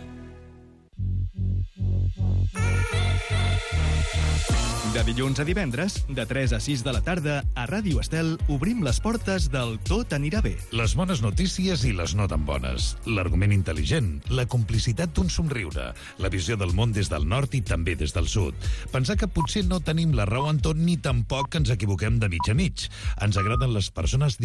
Speaker 3: De dilluns a divendres, de 3 a 6 de la tarda, a Ràdio Estel obrim les portes del Tot anirà bé.
Speaker 11: Les bones notícies i les no tan bones. L'argument intel·ligent, la complicitat d'un somriure, la visió del món des del nord i també des del sud. Pensar que potser no tenim la raó en tot ni tampoc que ens equivoquem de mig a mig. Ens agraden les persones